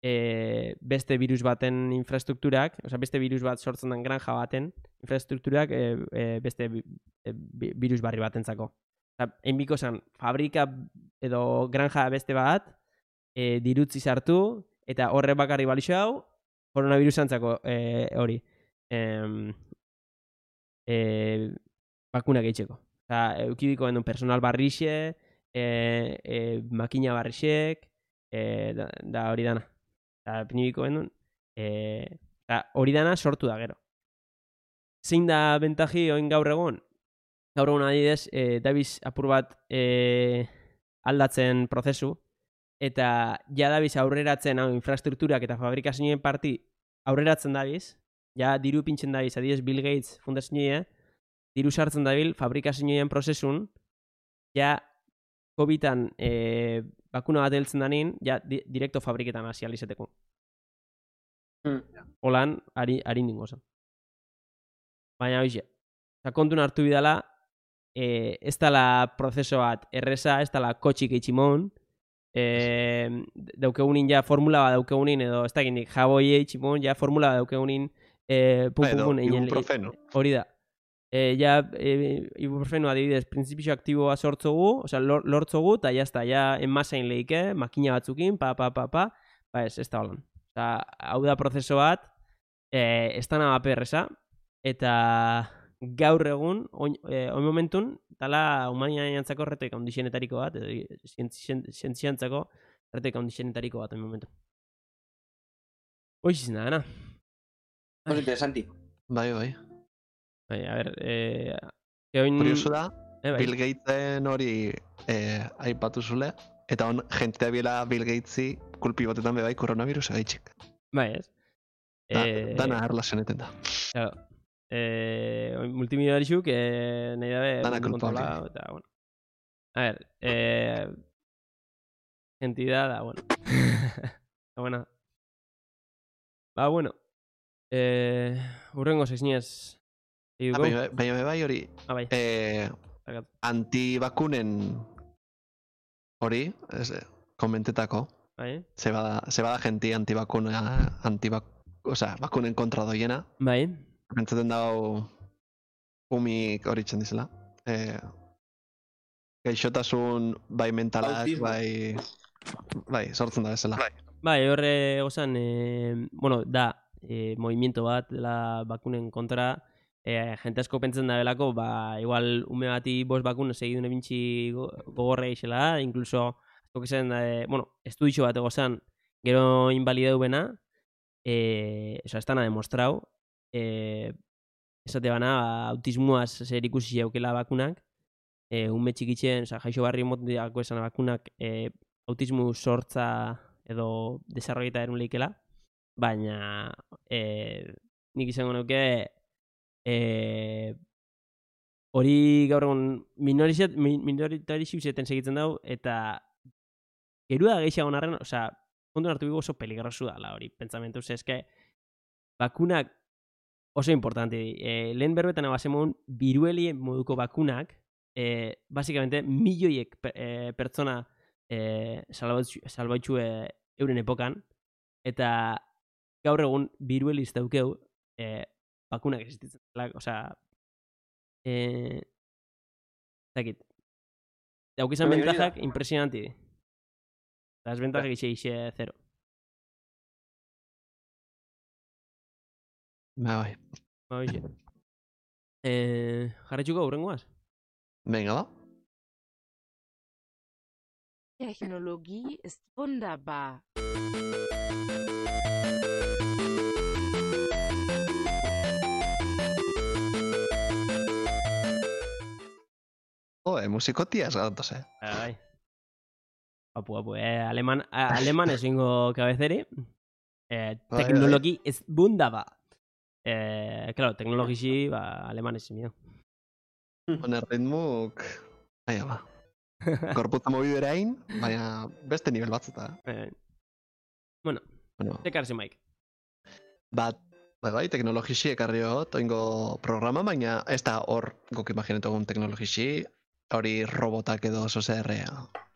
e, beste virus baten infrastrukturak, osea, beste virus bat sortzen den granja baten infrastrukturak e, e, beste e, virus barri batentzako. Enbiko zen, fabrika edo granja beste bat, e, dirutzi sartu, eta horre bakarri balixo hau, koronavirusantzako e, hori, e, e, bakuna gehitzeko. Eta eukibiko endun personal barrixe, e, e, makina barrixek, e, da, da hori dana. Eta pinibiko endun, e, hori dana sortu da gero. Zein da bentaji oin gaur egon? Gaur egun adidez, e, dabiz apur bat e, aldatzen prozesu, eta ja dabiz aurreratzen hau infrastrukturak eta fabrikazioen parti aurreratzen dabiz, ja diru pintzen dabiz, adidez Bill Gates fundazioa, diru sartzen dabil fabrikazioen prozesun, ja COVIDan e, bakuna bat heltzen danin, ja di, direkto fabriketan hasi alizeteko. Mm. Holan, ari, ari ningo zen. Baina, hoxe, kontun hartu bidala, eh, ez dala prozeso bat erresa, ez dala kotxik eitximon, eh, daukegunin ja formula bat daukegunin, edo ez dakinik jaboi eitximon, ja formula bat daukegunin, eh, pum, pum, Edo, pum, einen- ibuprofeno. hori da. Eh, ja, eh, ibuprofeno adibidez, printzipio aktiboa sortzogu, osea, lor, lortzogu, eta jazta, ja, enmasain lehike, makina batzukin, pa, pa, pa, pa, ba ez, ez da holan. Osea, hau da prozeso bat, eh, ez da naba perresa, eta gaur egun, oin, eh, oin momentun, tala humaniantzako retek handixenetariko bat, edo zientziantzako retek handixenetariko bat, oin momentu. Hoiz izan da, gana. Oso interesanti. Bai, bai. Bai, a ber, eh, oin... Kurioso da, eh, bai. Bill Gatesen hori eh, aipatu zule, eta on jentea biela Bill Gatesi kulpi batetan bebai koronavirusa gaitxik. Bai, ez? Da, Eh, dana erlazioneten da. Claro. Eh, multimilionarisuk eh, nahi dabe Dana mundu kulpable. kontrola, eta, bueno. A ver, eh, entidad, da, bueno. Ba, bueno. Ba, bueno. Eh, urrengo sexniez. Ah, Baina baina bai hori, Ah, bai. eh, Barkatu. antibakunen hori, ez, eh, komentetako, Bai. ze bada, ze bada jenti antibakuna, antibak, osea, bakunen kontra doiena, Bai. pentsaten dago umik hori txen dizela. Eh, gaixotasun bai mentalak, Autismo. bai, bai, sortzen da bezala. Bai, horre gozan, eh, bueno, da, eh, movimiento bat, dela bakunen kontra, eh, jente asko pentsen da belako, ba, igual ume bati bost bakun segidun ebintxi gogorra eixela, incluso, asko zen, eh, bueno, estudixo bat egozan, gero invalideu bena, eh, eso, ez dana demostrau, eh, esate bana, ba, autismuaz zer ikusi jaukela bakunak, eh, ume txikitzen, oza, jaixo barri motiako esan bakunak, eh, autismu sortza edo desarrollita erun lehikela, baina eh, nik izango nuke eh, hori gaur egun minoritarizitzen segitzen dau, eta gerua gehiago narren, osea, kontu hartu bigu oso peligrosu dala hori, pentsamentu, ze eske, bakunak oso importante di. Eh, lehen berbetan abasemon, biruelien moduko bakunak, eh, basikamente, milioiek eh, pertsona eh, salbaitxu eh, euren epokan, eta gaur egun birueliz daukeu eh, bakunak existitzen. Osea, eh, zakit, daukizan Bai, hori da. bentajak impresionanti di. Las bentajak ixe ixe zero. Ba, bai. Ba, hoxe. Eh, jarretxuko hurrengoaz? Venga, ba. Technologie ist wunderbar. Joe, musikotiaz gatoz, eh? Bai. Apu, apu, eh, aleman, a- aleman ezingo kabezeri. Eh, Bai, teknologi ez bundaba. Eh, claro, teknologisi, ba, aleman ezin mio. Honer ritmuk... Aia, ba. Korputza mobiderain, baina beste nivel batzeta. Eh, bueno, Bueno, zekarzi maik. bat, bai, bai, teknologisi ekarri hot, oingo programa, baina ez da hor guk imaginetu egun teknologisi, hori robotak edo oso zer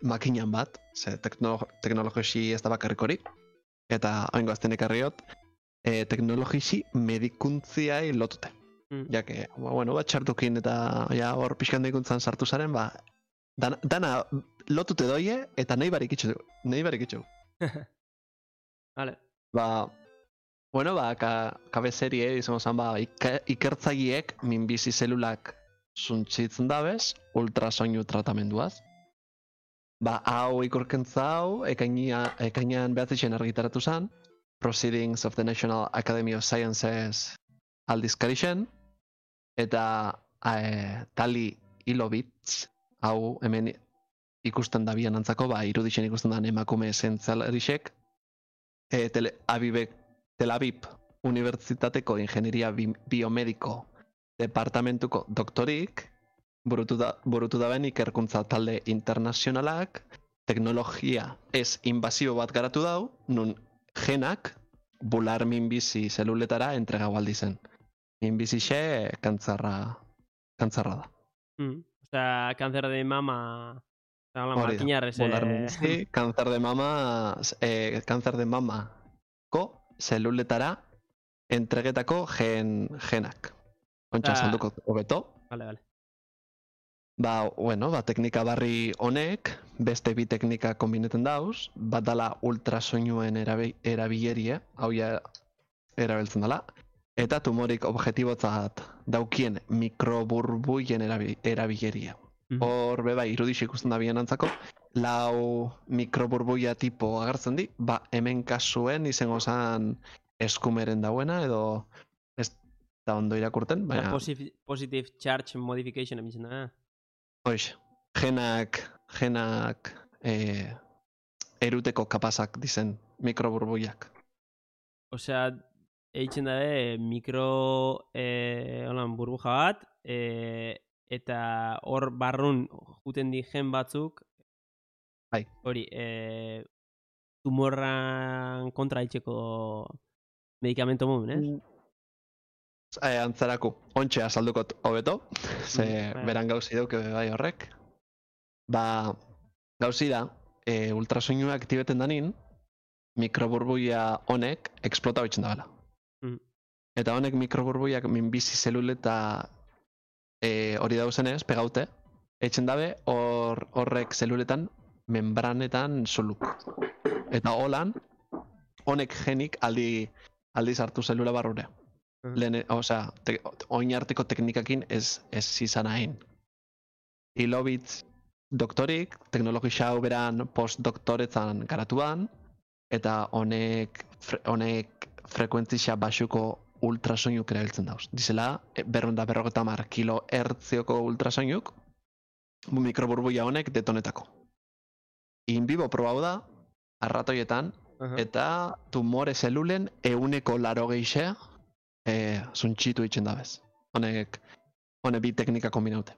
makinan bat, ze tekno, teknologisi ez da bakarrik hori, eta oingo azten ekarri hot, e, teknologisi medikuntziai lotute. Mm. Ja que, ba, bueno, bat txartukin eta ja hor pixkan medikuntzan sartu zaren, ba, dana, dana lotute doie eta nahi barik itxu, nahi barik itxu. Vale. Ba, bueno, ba, ka, kabezerie, izango zen, ba, ika, ikertzaileek minbizi zelulak zuntzitzen dabez, ultrasoinu tratamenduaz. Ba, hau ikurkentza hau, ekainia, ekainean behatzitzen argitaratu zen, Proceedings of the National Academy of Sciences aldizkarixen, eta e, Tali Ilovitz, hau hemen ikusten da bian antzako, ba, iruditzen ikusten da emakume esentzialarisek, e, tele, abibek, Tel Aviv Unibertsitateko Ingenieria Bi Biomediko Departamentuko doktorik, burutu da, burutu daben ikerkuntza talde internazionalak, teknologia ez invasibo bat garatu dau, nun genak bular minbizi zeluletara entregau aldi zen. Minbizixe kantzarra, kantzarra da. Mm. Osea, cáncer de mama... Osea, hola, Hori da. makinarrez... Bular eh, minbizi, kantzar de mama, eh, kantzar de mamako zeluletara entregetako gen, genak. Kontxa Osea, salduko hobeto. Vale, vale. Ba, bueno, ba, teknika barri honek, beste bi teknika kombineten dauz, bat dala ultrasoinuen erabi, erabilerie, hau ja erabiltzen dela, eta tumorik objetibotzat daukien mikroburbuien erabi, erabileria. Mhm. Hor, beba, irudix ikusten da bien antzako, lau mikroburbuia tipo agertzen di, ba, hemen kasuen izango zan eskumeren dauena, edo ez da ondo irakurten, Osea, baina... positive, positive charge modification emitzen da. Hoix, genak, genak eh, eruteko kapazak dizen mikroburbuiak. Osea, eitzen dabe mikro eh, holan, burbuja bat, eh, eta hor barrun juten di gen batzuk, Bai. hori, eh, tumorran kontra itxeko medikamento modun, ez? Eh, antzaraku, ontxe azaldukot hobeto, ze bai. beran gauzi duke bai horrek. Ba, gauzi da, e, ultrasoinua aktibeten danin, mikroburbuia honek eksplota hoitzen dabela. Mm. Eta honek mikroburbuiak minbizi zeluleta e, hori dauzenez, pegaute, etxen dabe hor, horrek zeluletan membranetan soluk. Eta holan, honek genik aldi, aldi sartu zelula barrure. Mhm. Lehen, osea, te, oinarteko teknikakin ez, ez izan hain. Ilobitz doktorik, teknologia hau beran postdoktoretzan garatuan, eta honek, fre, honek frekuentzia baxuko ultrasoinuk erabiltzen dauz. Dizela, berrunda berrogeta mar kilo hertzioko ultrasoinuk, mikroburbuia honek detonetako. In vivo probau da, arratoietan, Aha. eta tumore zelulen euneko laro geixea e, zuntxitu itxen dabez. Honek, honek bi teknika kombinaute.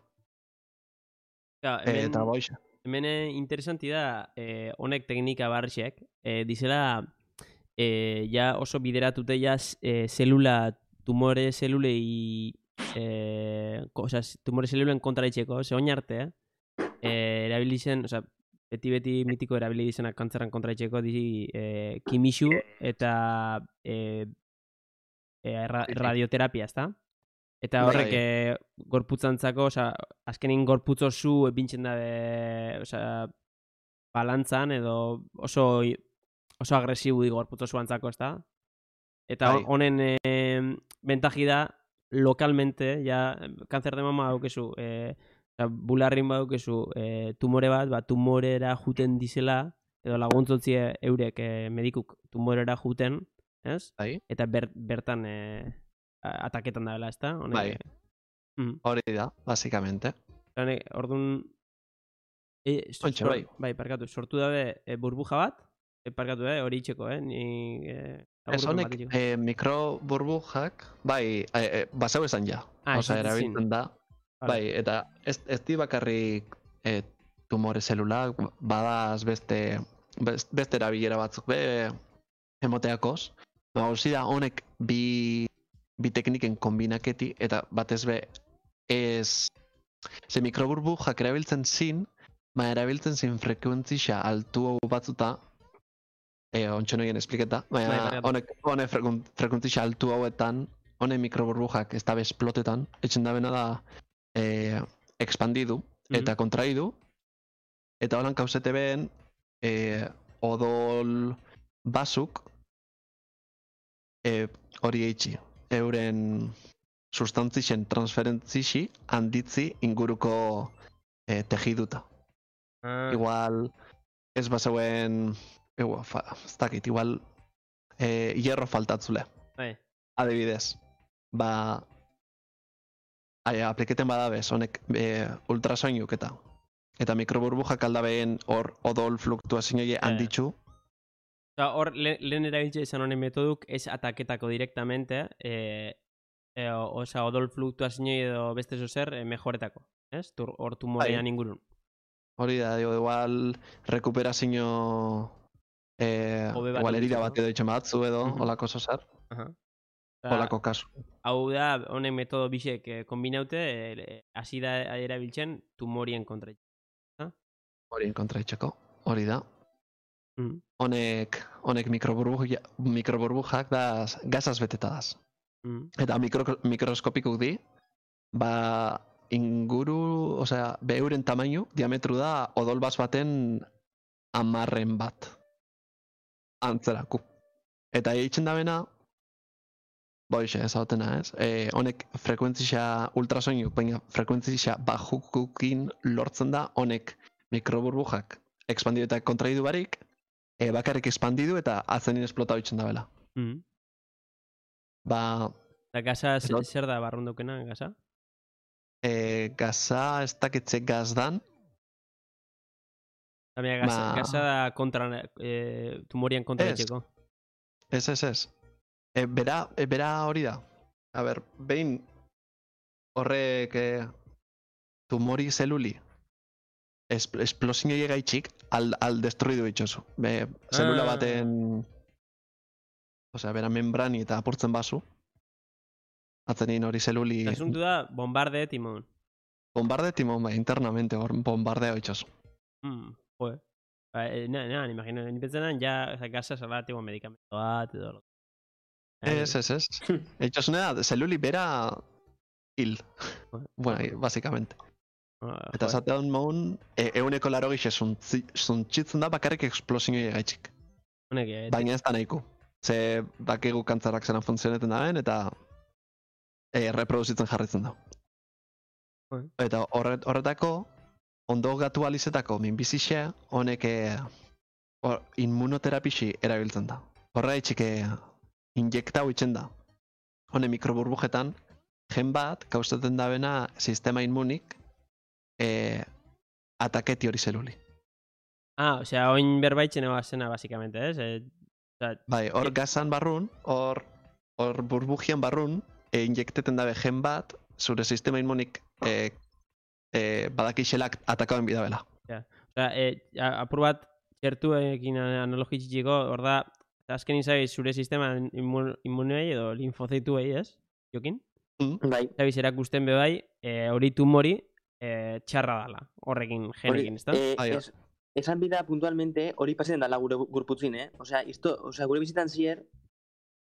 Ja, E, hemen, eta boixe. hemen eh, interesanti da, eh, honek teknika barrixek, eh, dizela, eh, ja oso bideratute ja eh, zelula, tumore zelulei, eh, osea, tumore zelulen kontra itxeko, ze oin arte, eh, eh, erabilizen, osea, beti-beti mitiko erabili izenak kantzerran kontra itxeko, di, eh, kimixu eta eh, eh, ra, radioterapia, ezta? Eta horrek Bai. eh, gorputzantzako, osea, azkenin gorputz oso epintzen da, osea, balantzan edo oso oso agresibu di gorputz osoantzako, ezta? Eta Bai. honen eh, bentaji da lokalmente, ja, kanzer de mama daukezu, eh, osea, bularrin badaukezu eh, tumore bat, ba, tumorera juten dizela, edo laguntzotzi eurek eh, medikuk tumorera juten, ez? Bai. Eta ber, bertan eh, ataketan da bela, ezta? Honek, Bai. Mm. Hori da, basikamente. Honek, orduan... E, so, Ontxe, sor- bai. bai, parkatu, sortu dabe e, burbuja bat, e, parkatu, eh, hori itxeko, eh? Ni, eh, Ez laburpen honek bat itxeko. e, mikroburbujak, bai, e, e, basau esan ja. Ah, Osea, ez dut ezin. erabiltzen da. Vale. Bai, eta ez, ez di bakarrik e, tumore zelulak, badaz beste, best- beste erabilera batzuk be emoteakoz. Ba, hauzi da honek bi, bi tekniken kombinaketi, eta batez be ez... Ze mikroburbujak erabiltzen zin, ba erabiltzen zin frekuentzia altu batzuta, e, ontsa noien espliketa, Bai, baina barkatu. honek, honek frekun- frekuentzia altu hauetan, honek mikroburbujak ez dabe esplotetan, etxen dabena da e, expandidu eta Mhm. kontraidu, eta holan kausete ben e, odol basuk e, hori eitxi, euren sustantzien transferentzixi handitzi inguruko e, tejiduta. Ah, Igual, ez bazeuen, igual, fa, ez dakit, igual e, hierro faltatzule. bai. Adibidez, ba, ai, apliketen badabez, honek e, ultrasoinuk eta eta mikroburbujak aldabeen hor odol fluktuazioie ja. handitzu, Osea, hor, le, lehen erabiltze izan honen metoduk, ez ataketako directamente, eh, eh, osea, odol fluktuazinoi edo beste zozer, eh, mejoretako, ez? Tur, hor tumorean ingurun. hori da, digo, igual rekuperazio eh, Hobe bat igual herida edukitzeko. bat edo itxen batzu edo, Mhm. holako zer, Aha. Osea, holako kasu. hau da, honek metodo bisek eh, kombinaute, eh, hasi da erabiltzen tumorien kontra. Horien kontra itxeko, hori da. Mm. Honek, honek mikroburbuja, mikroburbujak da gazaz beteta daz. Mm. Eta mikro, mikroskopikuk di, ba inguru, osea, beuren tamainu, diametru da odol bas baten amarren bat. Antzeraku. Eta eitzen da bena, boixe, ez hautena, ez? E, honek frekuentzia ultrasoinu, baina frekuentzia bajukukin lortzen da, honek mikroburbujak expandidu eta kontraidu barik, e, bakarrik expandidu eta atzenin esplotau itzen da bela. Mm. Ba, Eta gaza, Eta- zer da barrundukena, gaza? e, gaza ez dakitze gazdan, Tamia, gaza, Ba- gaza da kontra, eh, tumorien kontra Ez. etxeko. ez, ez, ez. E, bera, e, bera hori da. A ber, behin horrek e, tumori zeluli es, esplosioi gaitxik al, al destruidu itxosu. Be, zelula Ah. baten, osea, bera membrani eta apurtzen bazu, atzenin hori zeluli Eta asuntu da, bombarde timon. bombarde timon, ba, internamente hor bombardeo itxosu. Mm, joe. Ba, eh, na, na, imagino, ni pentsenan, ja, oza, gaza zala, tipo, medikamento bat, edo. Ez, ez, ez. Itxosune da, zeluli bera hil. Bueno, ahí, básicamente. Ah, Eta joe. zatean maun, e, euneko laro gixe zuntxitzen da bakarrik eksplosioi gaitxik. Honek, eh, Baina ez da nahiko. Ze dakigu kantzarak zelan funtzioneten daben eta e, reproduzitzen jarritzen da. Bai. Eta horret, horretako, ondo gatu alizetako minbizixe, honek e, hor, immunoterapixi erabiltzen da. Horra itxike injektau itzen da. Hone mikroburbujetan, gen bat, kaustaten dabena sistema inmunik, e, ataketi hori zeluli. Ah, osea, oin berbaitzen eba zena, basikamente, ez? Eh, osea, Bai, hor gazan barrun, hor hor burbujian barrun, e, injekteten dabe gen bat, zure sistema inmunik e, e, badakixelak atakauen bidabela. osea, eh, a- apur bat, txertuekin analogitxiko, hor da, azken izai zure sistema immun, immunei edo linfozituei, ez? Jokin? Bai. Zabiz erakusten be bai, eh, hori tumori eh, txarra dala, horrekin, genekin, ezta? Eh, Bai, es, esan bida puntualmente hori pasatzen dala gure gu- gorputzin, eh? Osea, isto, osea, gure bizitan zier,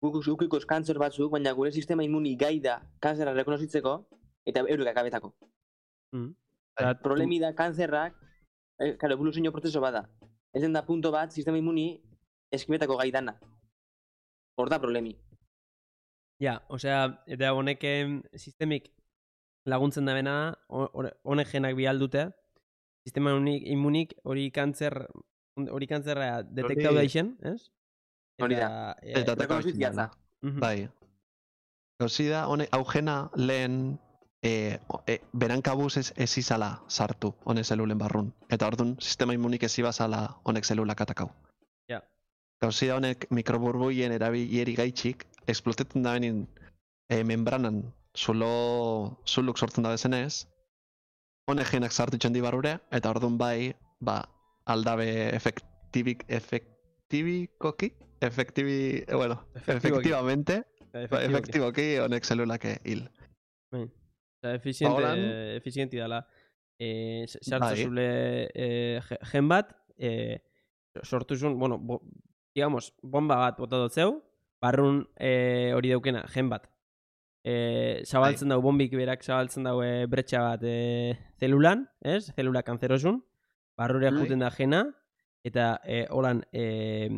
guk ukikoz kantzer batzuk, baina gure sistema immuni gai da kanzera rekonozitzeko, eta eurek akabetako. Mm. Bai. Eta, Problemi da kanzerrak, eh, karo, evoluzio prozeso bada. Ez den da punto bat, sistema immuni eskibetako gai dana. Hor da problemi. Ja, osea, eta honek em, sistemik laguntzen da bena, ho- hor- honek genak bihal dute, sistema unik, immunik hori kantzer, hori kantzerra detektau Hori- daixen, ez? Hori da. eh, Eta ataka rekonozitzen itzen da. da. mhm. Bai. Gauzi da, hone, augena lehen e, o- e, berankabuz ez, ez izala sartu, hone zelulen barrun. Eta orduan, sistema inmunik ez ibazala honek zelulak atakau. Ja. Gauzi da, honek mikroburbuien erabilleri gaitxik, esplotetzen da benin e, membranan zulo, zuluk sortzen da bezenez, honek genak sartu itxen di barrure, eta orduan bai, ba, aldabe efektibik, efektibikoki, efektibi, eh, bueno, Efektiboki. efectivamente, Ba, Efektiboki. efektiboki honek zelulak hil. Osea, efiziente, Holan- efizienti dala. Eh, s- sartu Bai. zule eh, ge- gen bat, eh, sortu zuen, bueno, bo, digamos, bomba bat bota dut zeu, barrun eh, hori daukena, gen bat. Eh, zabaltzen dau, bombik berak zabaltzen dau eh, bretxa bat eh, zelulan, ez? Zelula kanzerosun, barrure Bai. juten da gena, eta eh, holan eh,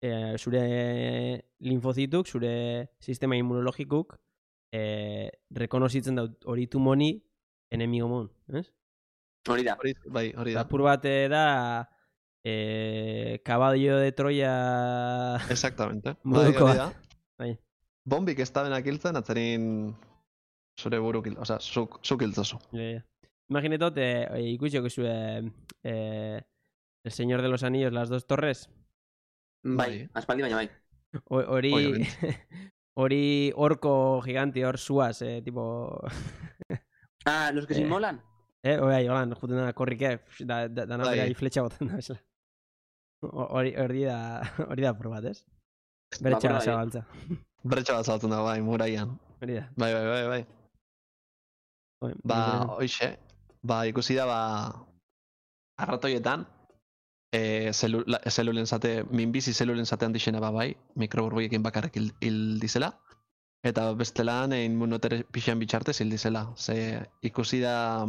eh, zure linfozituk, zure sistema immunologikuk eh, rekonozitzen dut hori tumoni enemigo mon, ez? Hori da. Hori, bai, hori da. Apur bat eh, da eh, caballo de Troya Exactamente. Bai, moduko hori bat. da. Bai. Bombik ez da benak hiltzen, atzerin zure buru kil, osea, zuk, zuk hiltzozu. Ja, ja. Imaginetot, eh, eh, ikusiko zue eh, El Señor de los Anillos, las dos torres. Bai, Bai. aspaldi baina bai. Ho- Hori Obviamente. hori orko gigante, hor suaz, eh, tipo... Ah, los que se Eh. inmolan. eh, oi, holan, juten da, korrike, da, da, dana Bai. bera fletxa boten da, bezala. Hori hori da, hori da probat, ez? Beretxa Ba, zabaltza. Bretxa bat zabaltzen da, bai, muraian. Hori da. Bai, bai, bai, bai. Oi, Ba, nik- hoxe, ba, ikusi da, ba, arratoietan, e, zelula, zelulen zate, minbizi zelulen zatean dixena ba, bai, mikroburbuiekin bakarrik hil, hil dizela, eta bestelan inmunotere pixan bitxartez hil dizela. Ze ikusi da,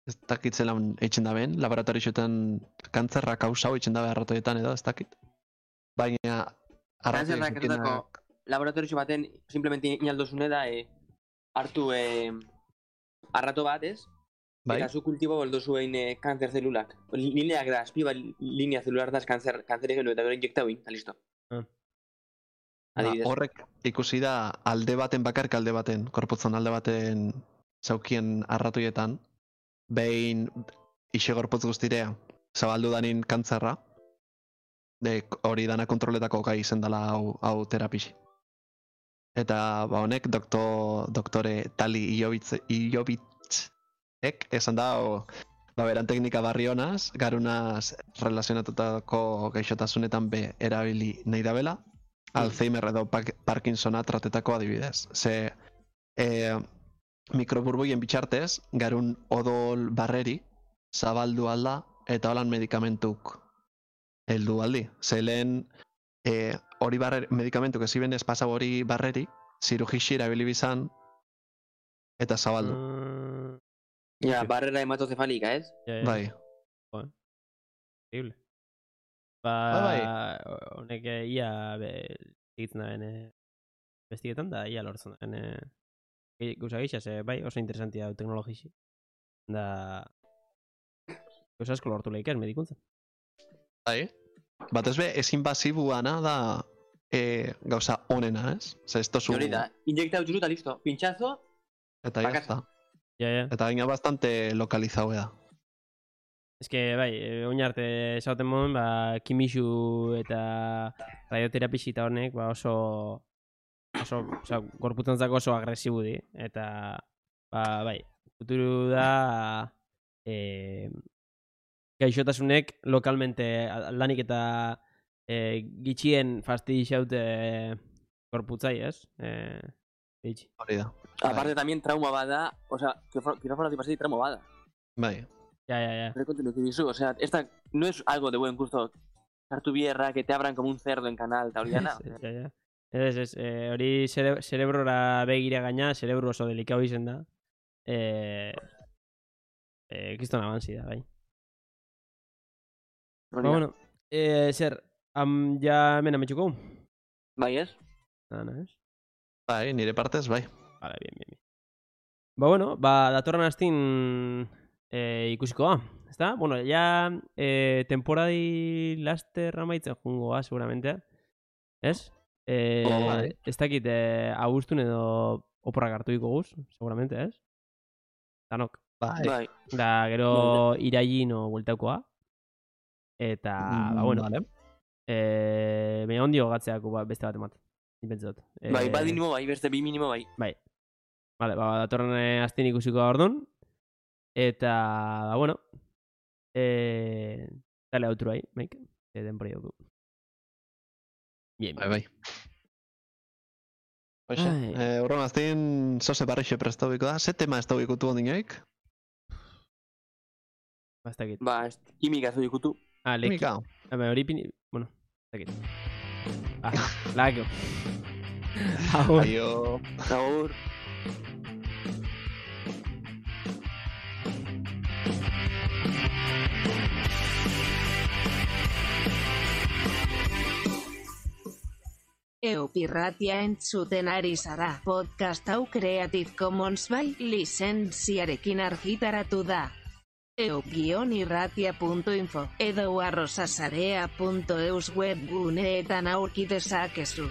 ez dakit zelan eitzen da ben, laboratorioetan kantzerra kausau eitzen da arratoietan edo, ez dakit. Baina, Kanzerrak arratoiekin erotako laboratorio baten simplemente inaldozune da e, hartu e, arrato bat, ez? bai, Eta zu kultibo boldozu egin e, kanzer zelulak. Lineak da, azpi bat linea zelular da kanzer, kanzer egin eta gero injekta egin, eta listo. Ah. ba, Adibidez. horrek ikusi da alde baten bakarrik alde baten, korputzan alde baten zaukien arratoietan, behin ixe gorputz guztirea zabaldu danin kantzerra, de hori dana kontroletako gai izen dela hau, hau terapixi. Eta ba honek doktor, doktore Tali Iobitz, Iobitzek esan da, o, ba beran teknika barri honaz, garunaz relazionatutako gaixotasunetan be erabili nahi dabela, Alzheimer edo Parkinsona tratetako adibidez. Ze e, mikroburbuien bitxartez, garun odol barreri zabaldu alda eta holan medikamentuk heldu aldi. Ze lehen e, hori barreri, medikamentuk eziben ez pasau hori barreri, zirugixi erabili bizan eta zabaldu. Mm, Ja, barrera hematocefalika, ez? ja, ja. Bai, Increíble. Ba, Bai, honek eh, ia egitzen da ben bestigetan da ia lortzen da ben eh, gauza gisa, ze bai oso interesantia da teknologisi. Da gauza asko lortu lehik ez medikuntzan. bai. Batez be, ezin basibuana da e, gauza onena, ez? Ze ez tozu... Hori da, injekta utxuru eta listo. Pintxazo, Eta ya bakasa. está. Ja, ja. Eta gaina bastante lokalizau da. Ez que, bai, eh, oin arte esauten moden, ba, kimixu eta radioterapisi eta honek, ba, oso, oso, oza, gorputzantzako oso agresibu di. Eta, ba, bai, futuru da, e, gaixotasunek lokalmente lanik eta e, gitxien fastidixaute gorputzai, ez? E, gitxi. Hori da. aparte también trauma bada, o sea, quirófano tipo así, trauma bada. Bai. Ja, ja, ja. Recontinuo que dizu, o sea, esta no es algo de buen gusto. Sartu bierra, que te abran como un cerdo en canal, eta hori dana. Ja, ja. Ez, ez, eh, hori cere cerebrora begira gaina, cerebro oso delikau izen da. Eh, eh, kriston avanzi da, bai. Hori Ba, da. bueno, eh, zer, am, ja hemen ametxuko? Bai, ez? Nada, ez? Bai, nire partez, bai. Vale, bien, bien, bien. Ba, bueno, ba, datorren astin eh, ikusikoa, ezta? Bueno, ja eh, temporadi laster amaitzen jungoa, seguramente. Ez? Eh, Oh, bai. ez dakit, eh, agustun edo oporrak hartu diko guz, seguramente, ez? Danok. Bai. Bai. Da, gero irailin o bueltaukoa. Eta, ba, bueno, Vale. eh, baina ondio gatzeako ba, beste bat emat. Nipentzat. Eh, Bai, bat minimo bai, beste bi minimo bai. Bai. Vale, ba, datorren eh, astin ikusiko ordun. Eta, ba, bueno, eh, dale outro ahí, Mike. Eh, denbora dugu. Bien, Bai, bai. Hoxe, Ai. eh, urron aztin zoze barrixe prestauiko da. Ze tema ez da ikutu ondinoik? bastakit. Ba, ez, kimika zu ikutu. Ah, leki. Mika. Ah, ba, hori pini, bueno, bastakit. Ah, lako. Agur. Aio. Agur. Eupirratia entzuten ari zara. Podcast hau Creative Commons by lizentziarekin argitaratu da. eu-irratia punto info edo arrosasarea punto eus webguneetan aurki dezakezu.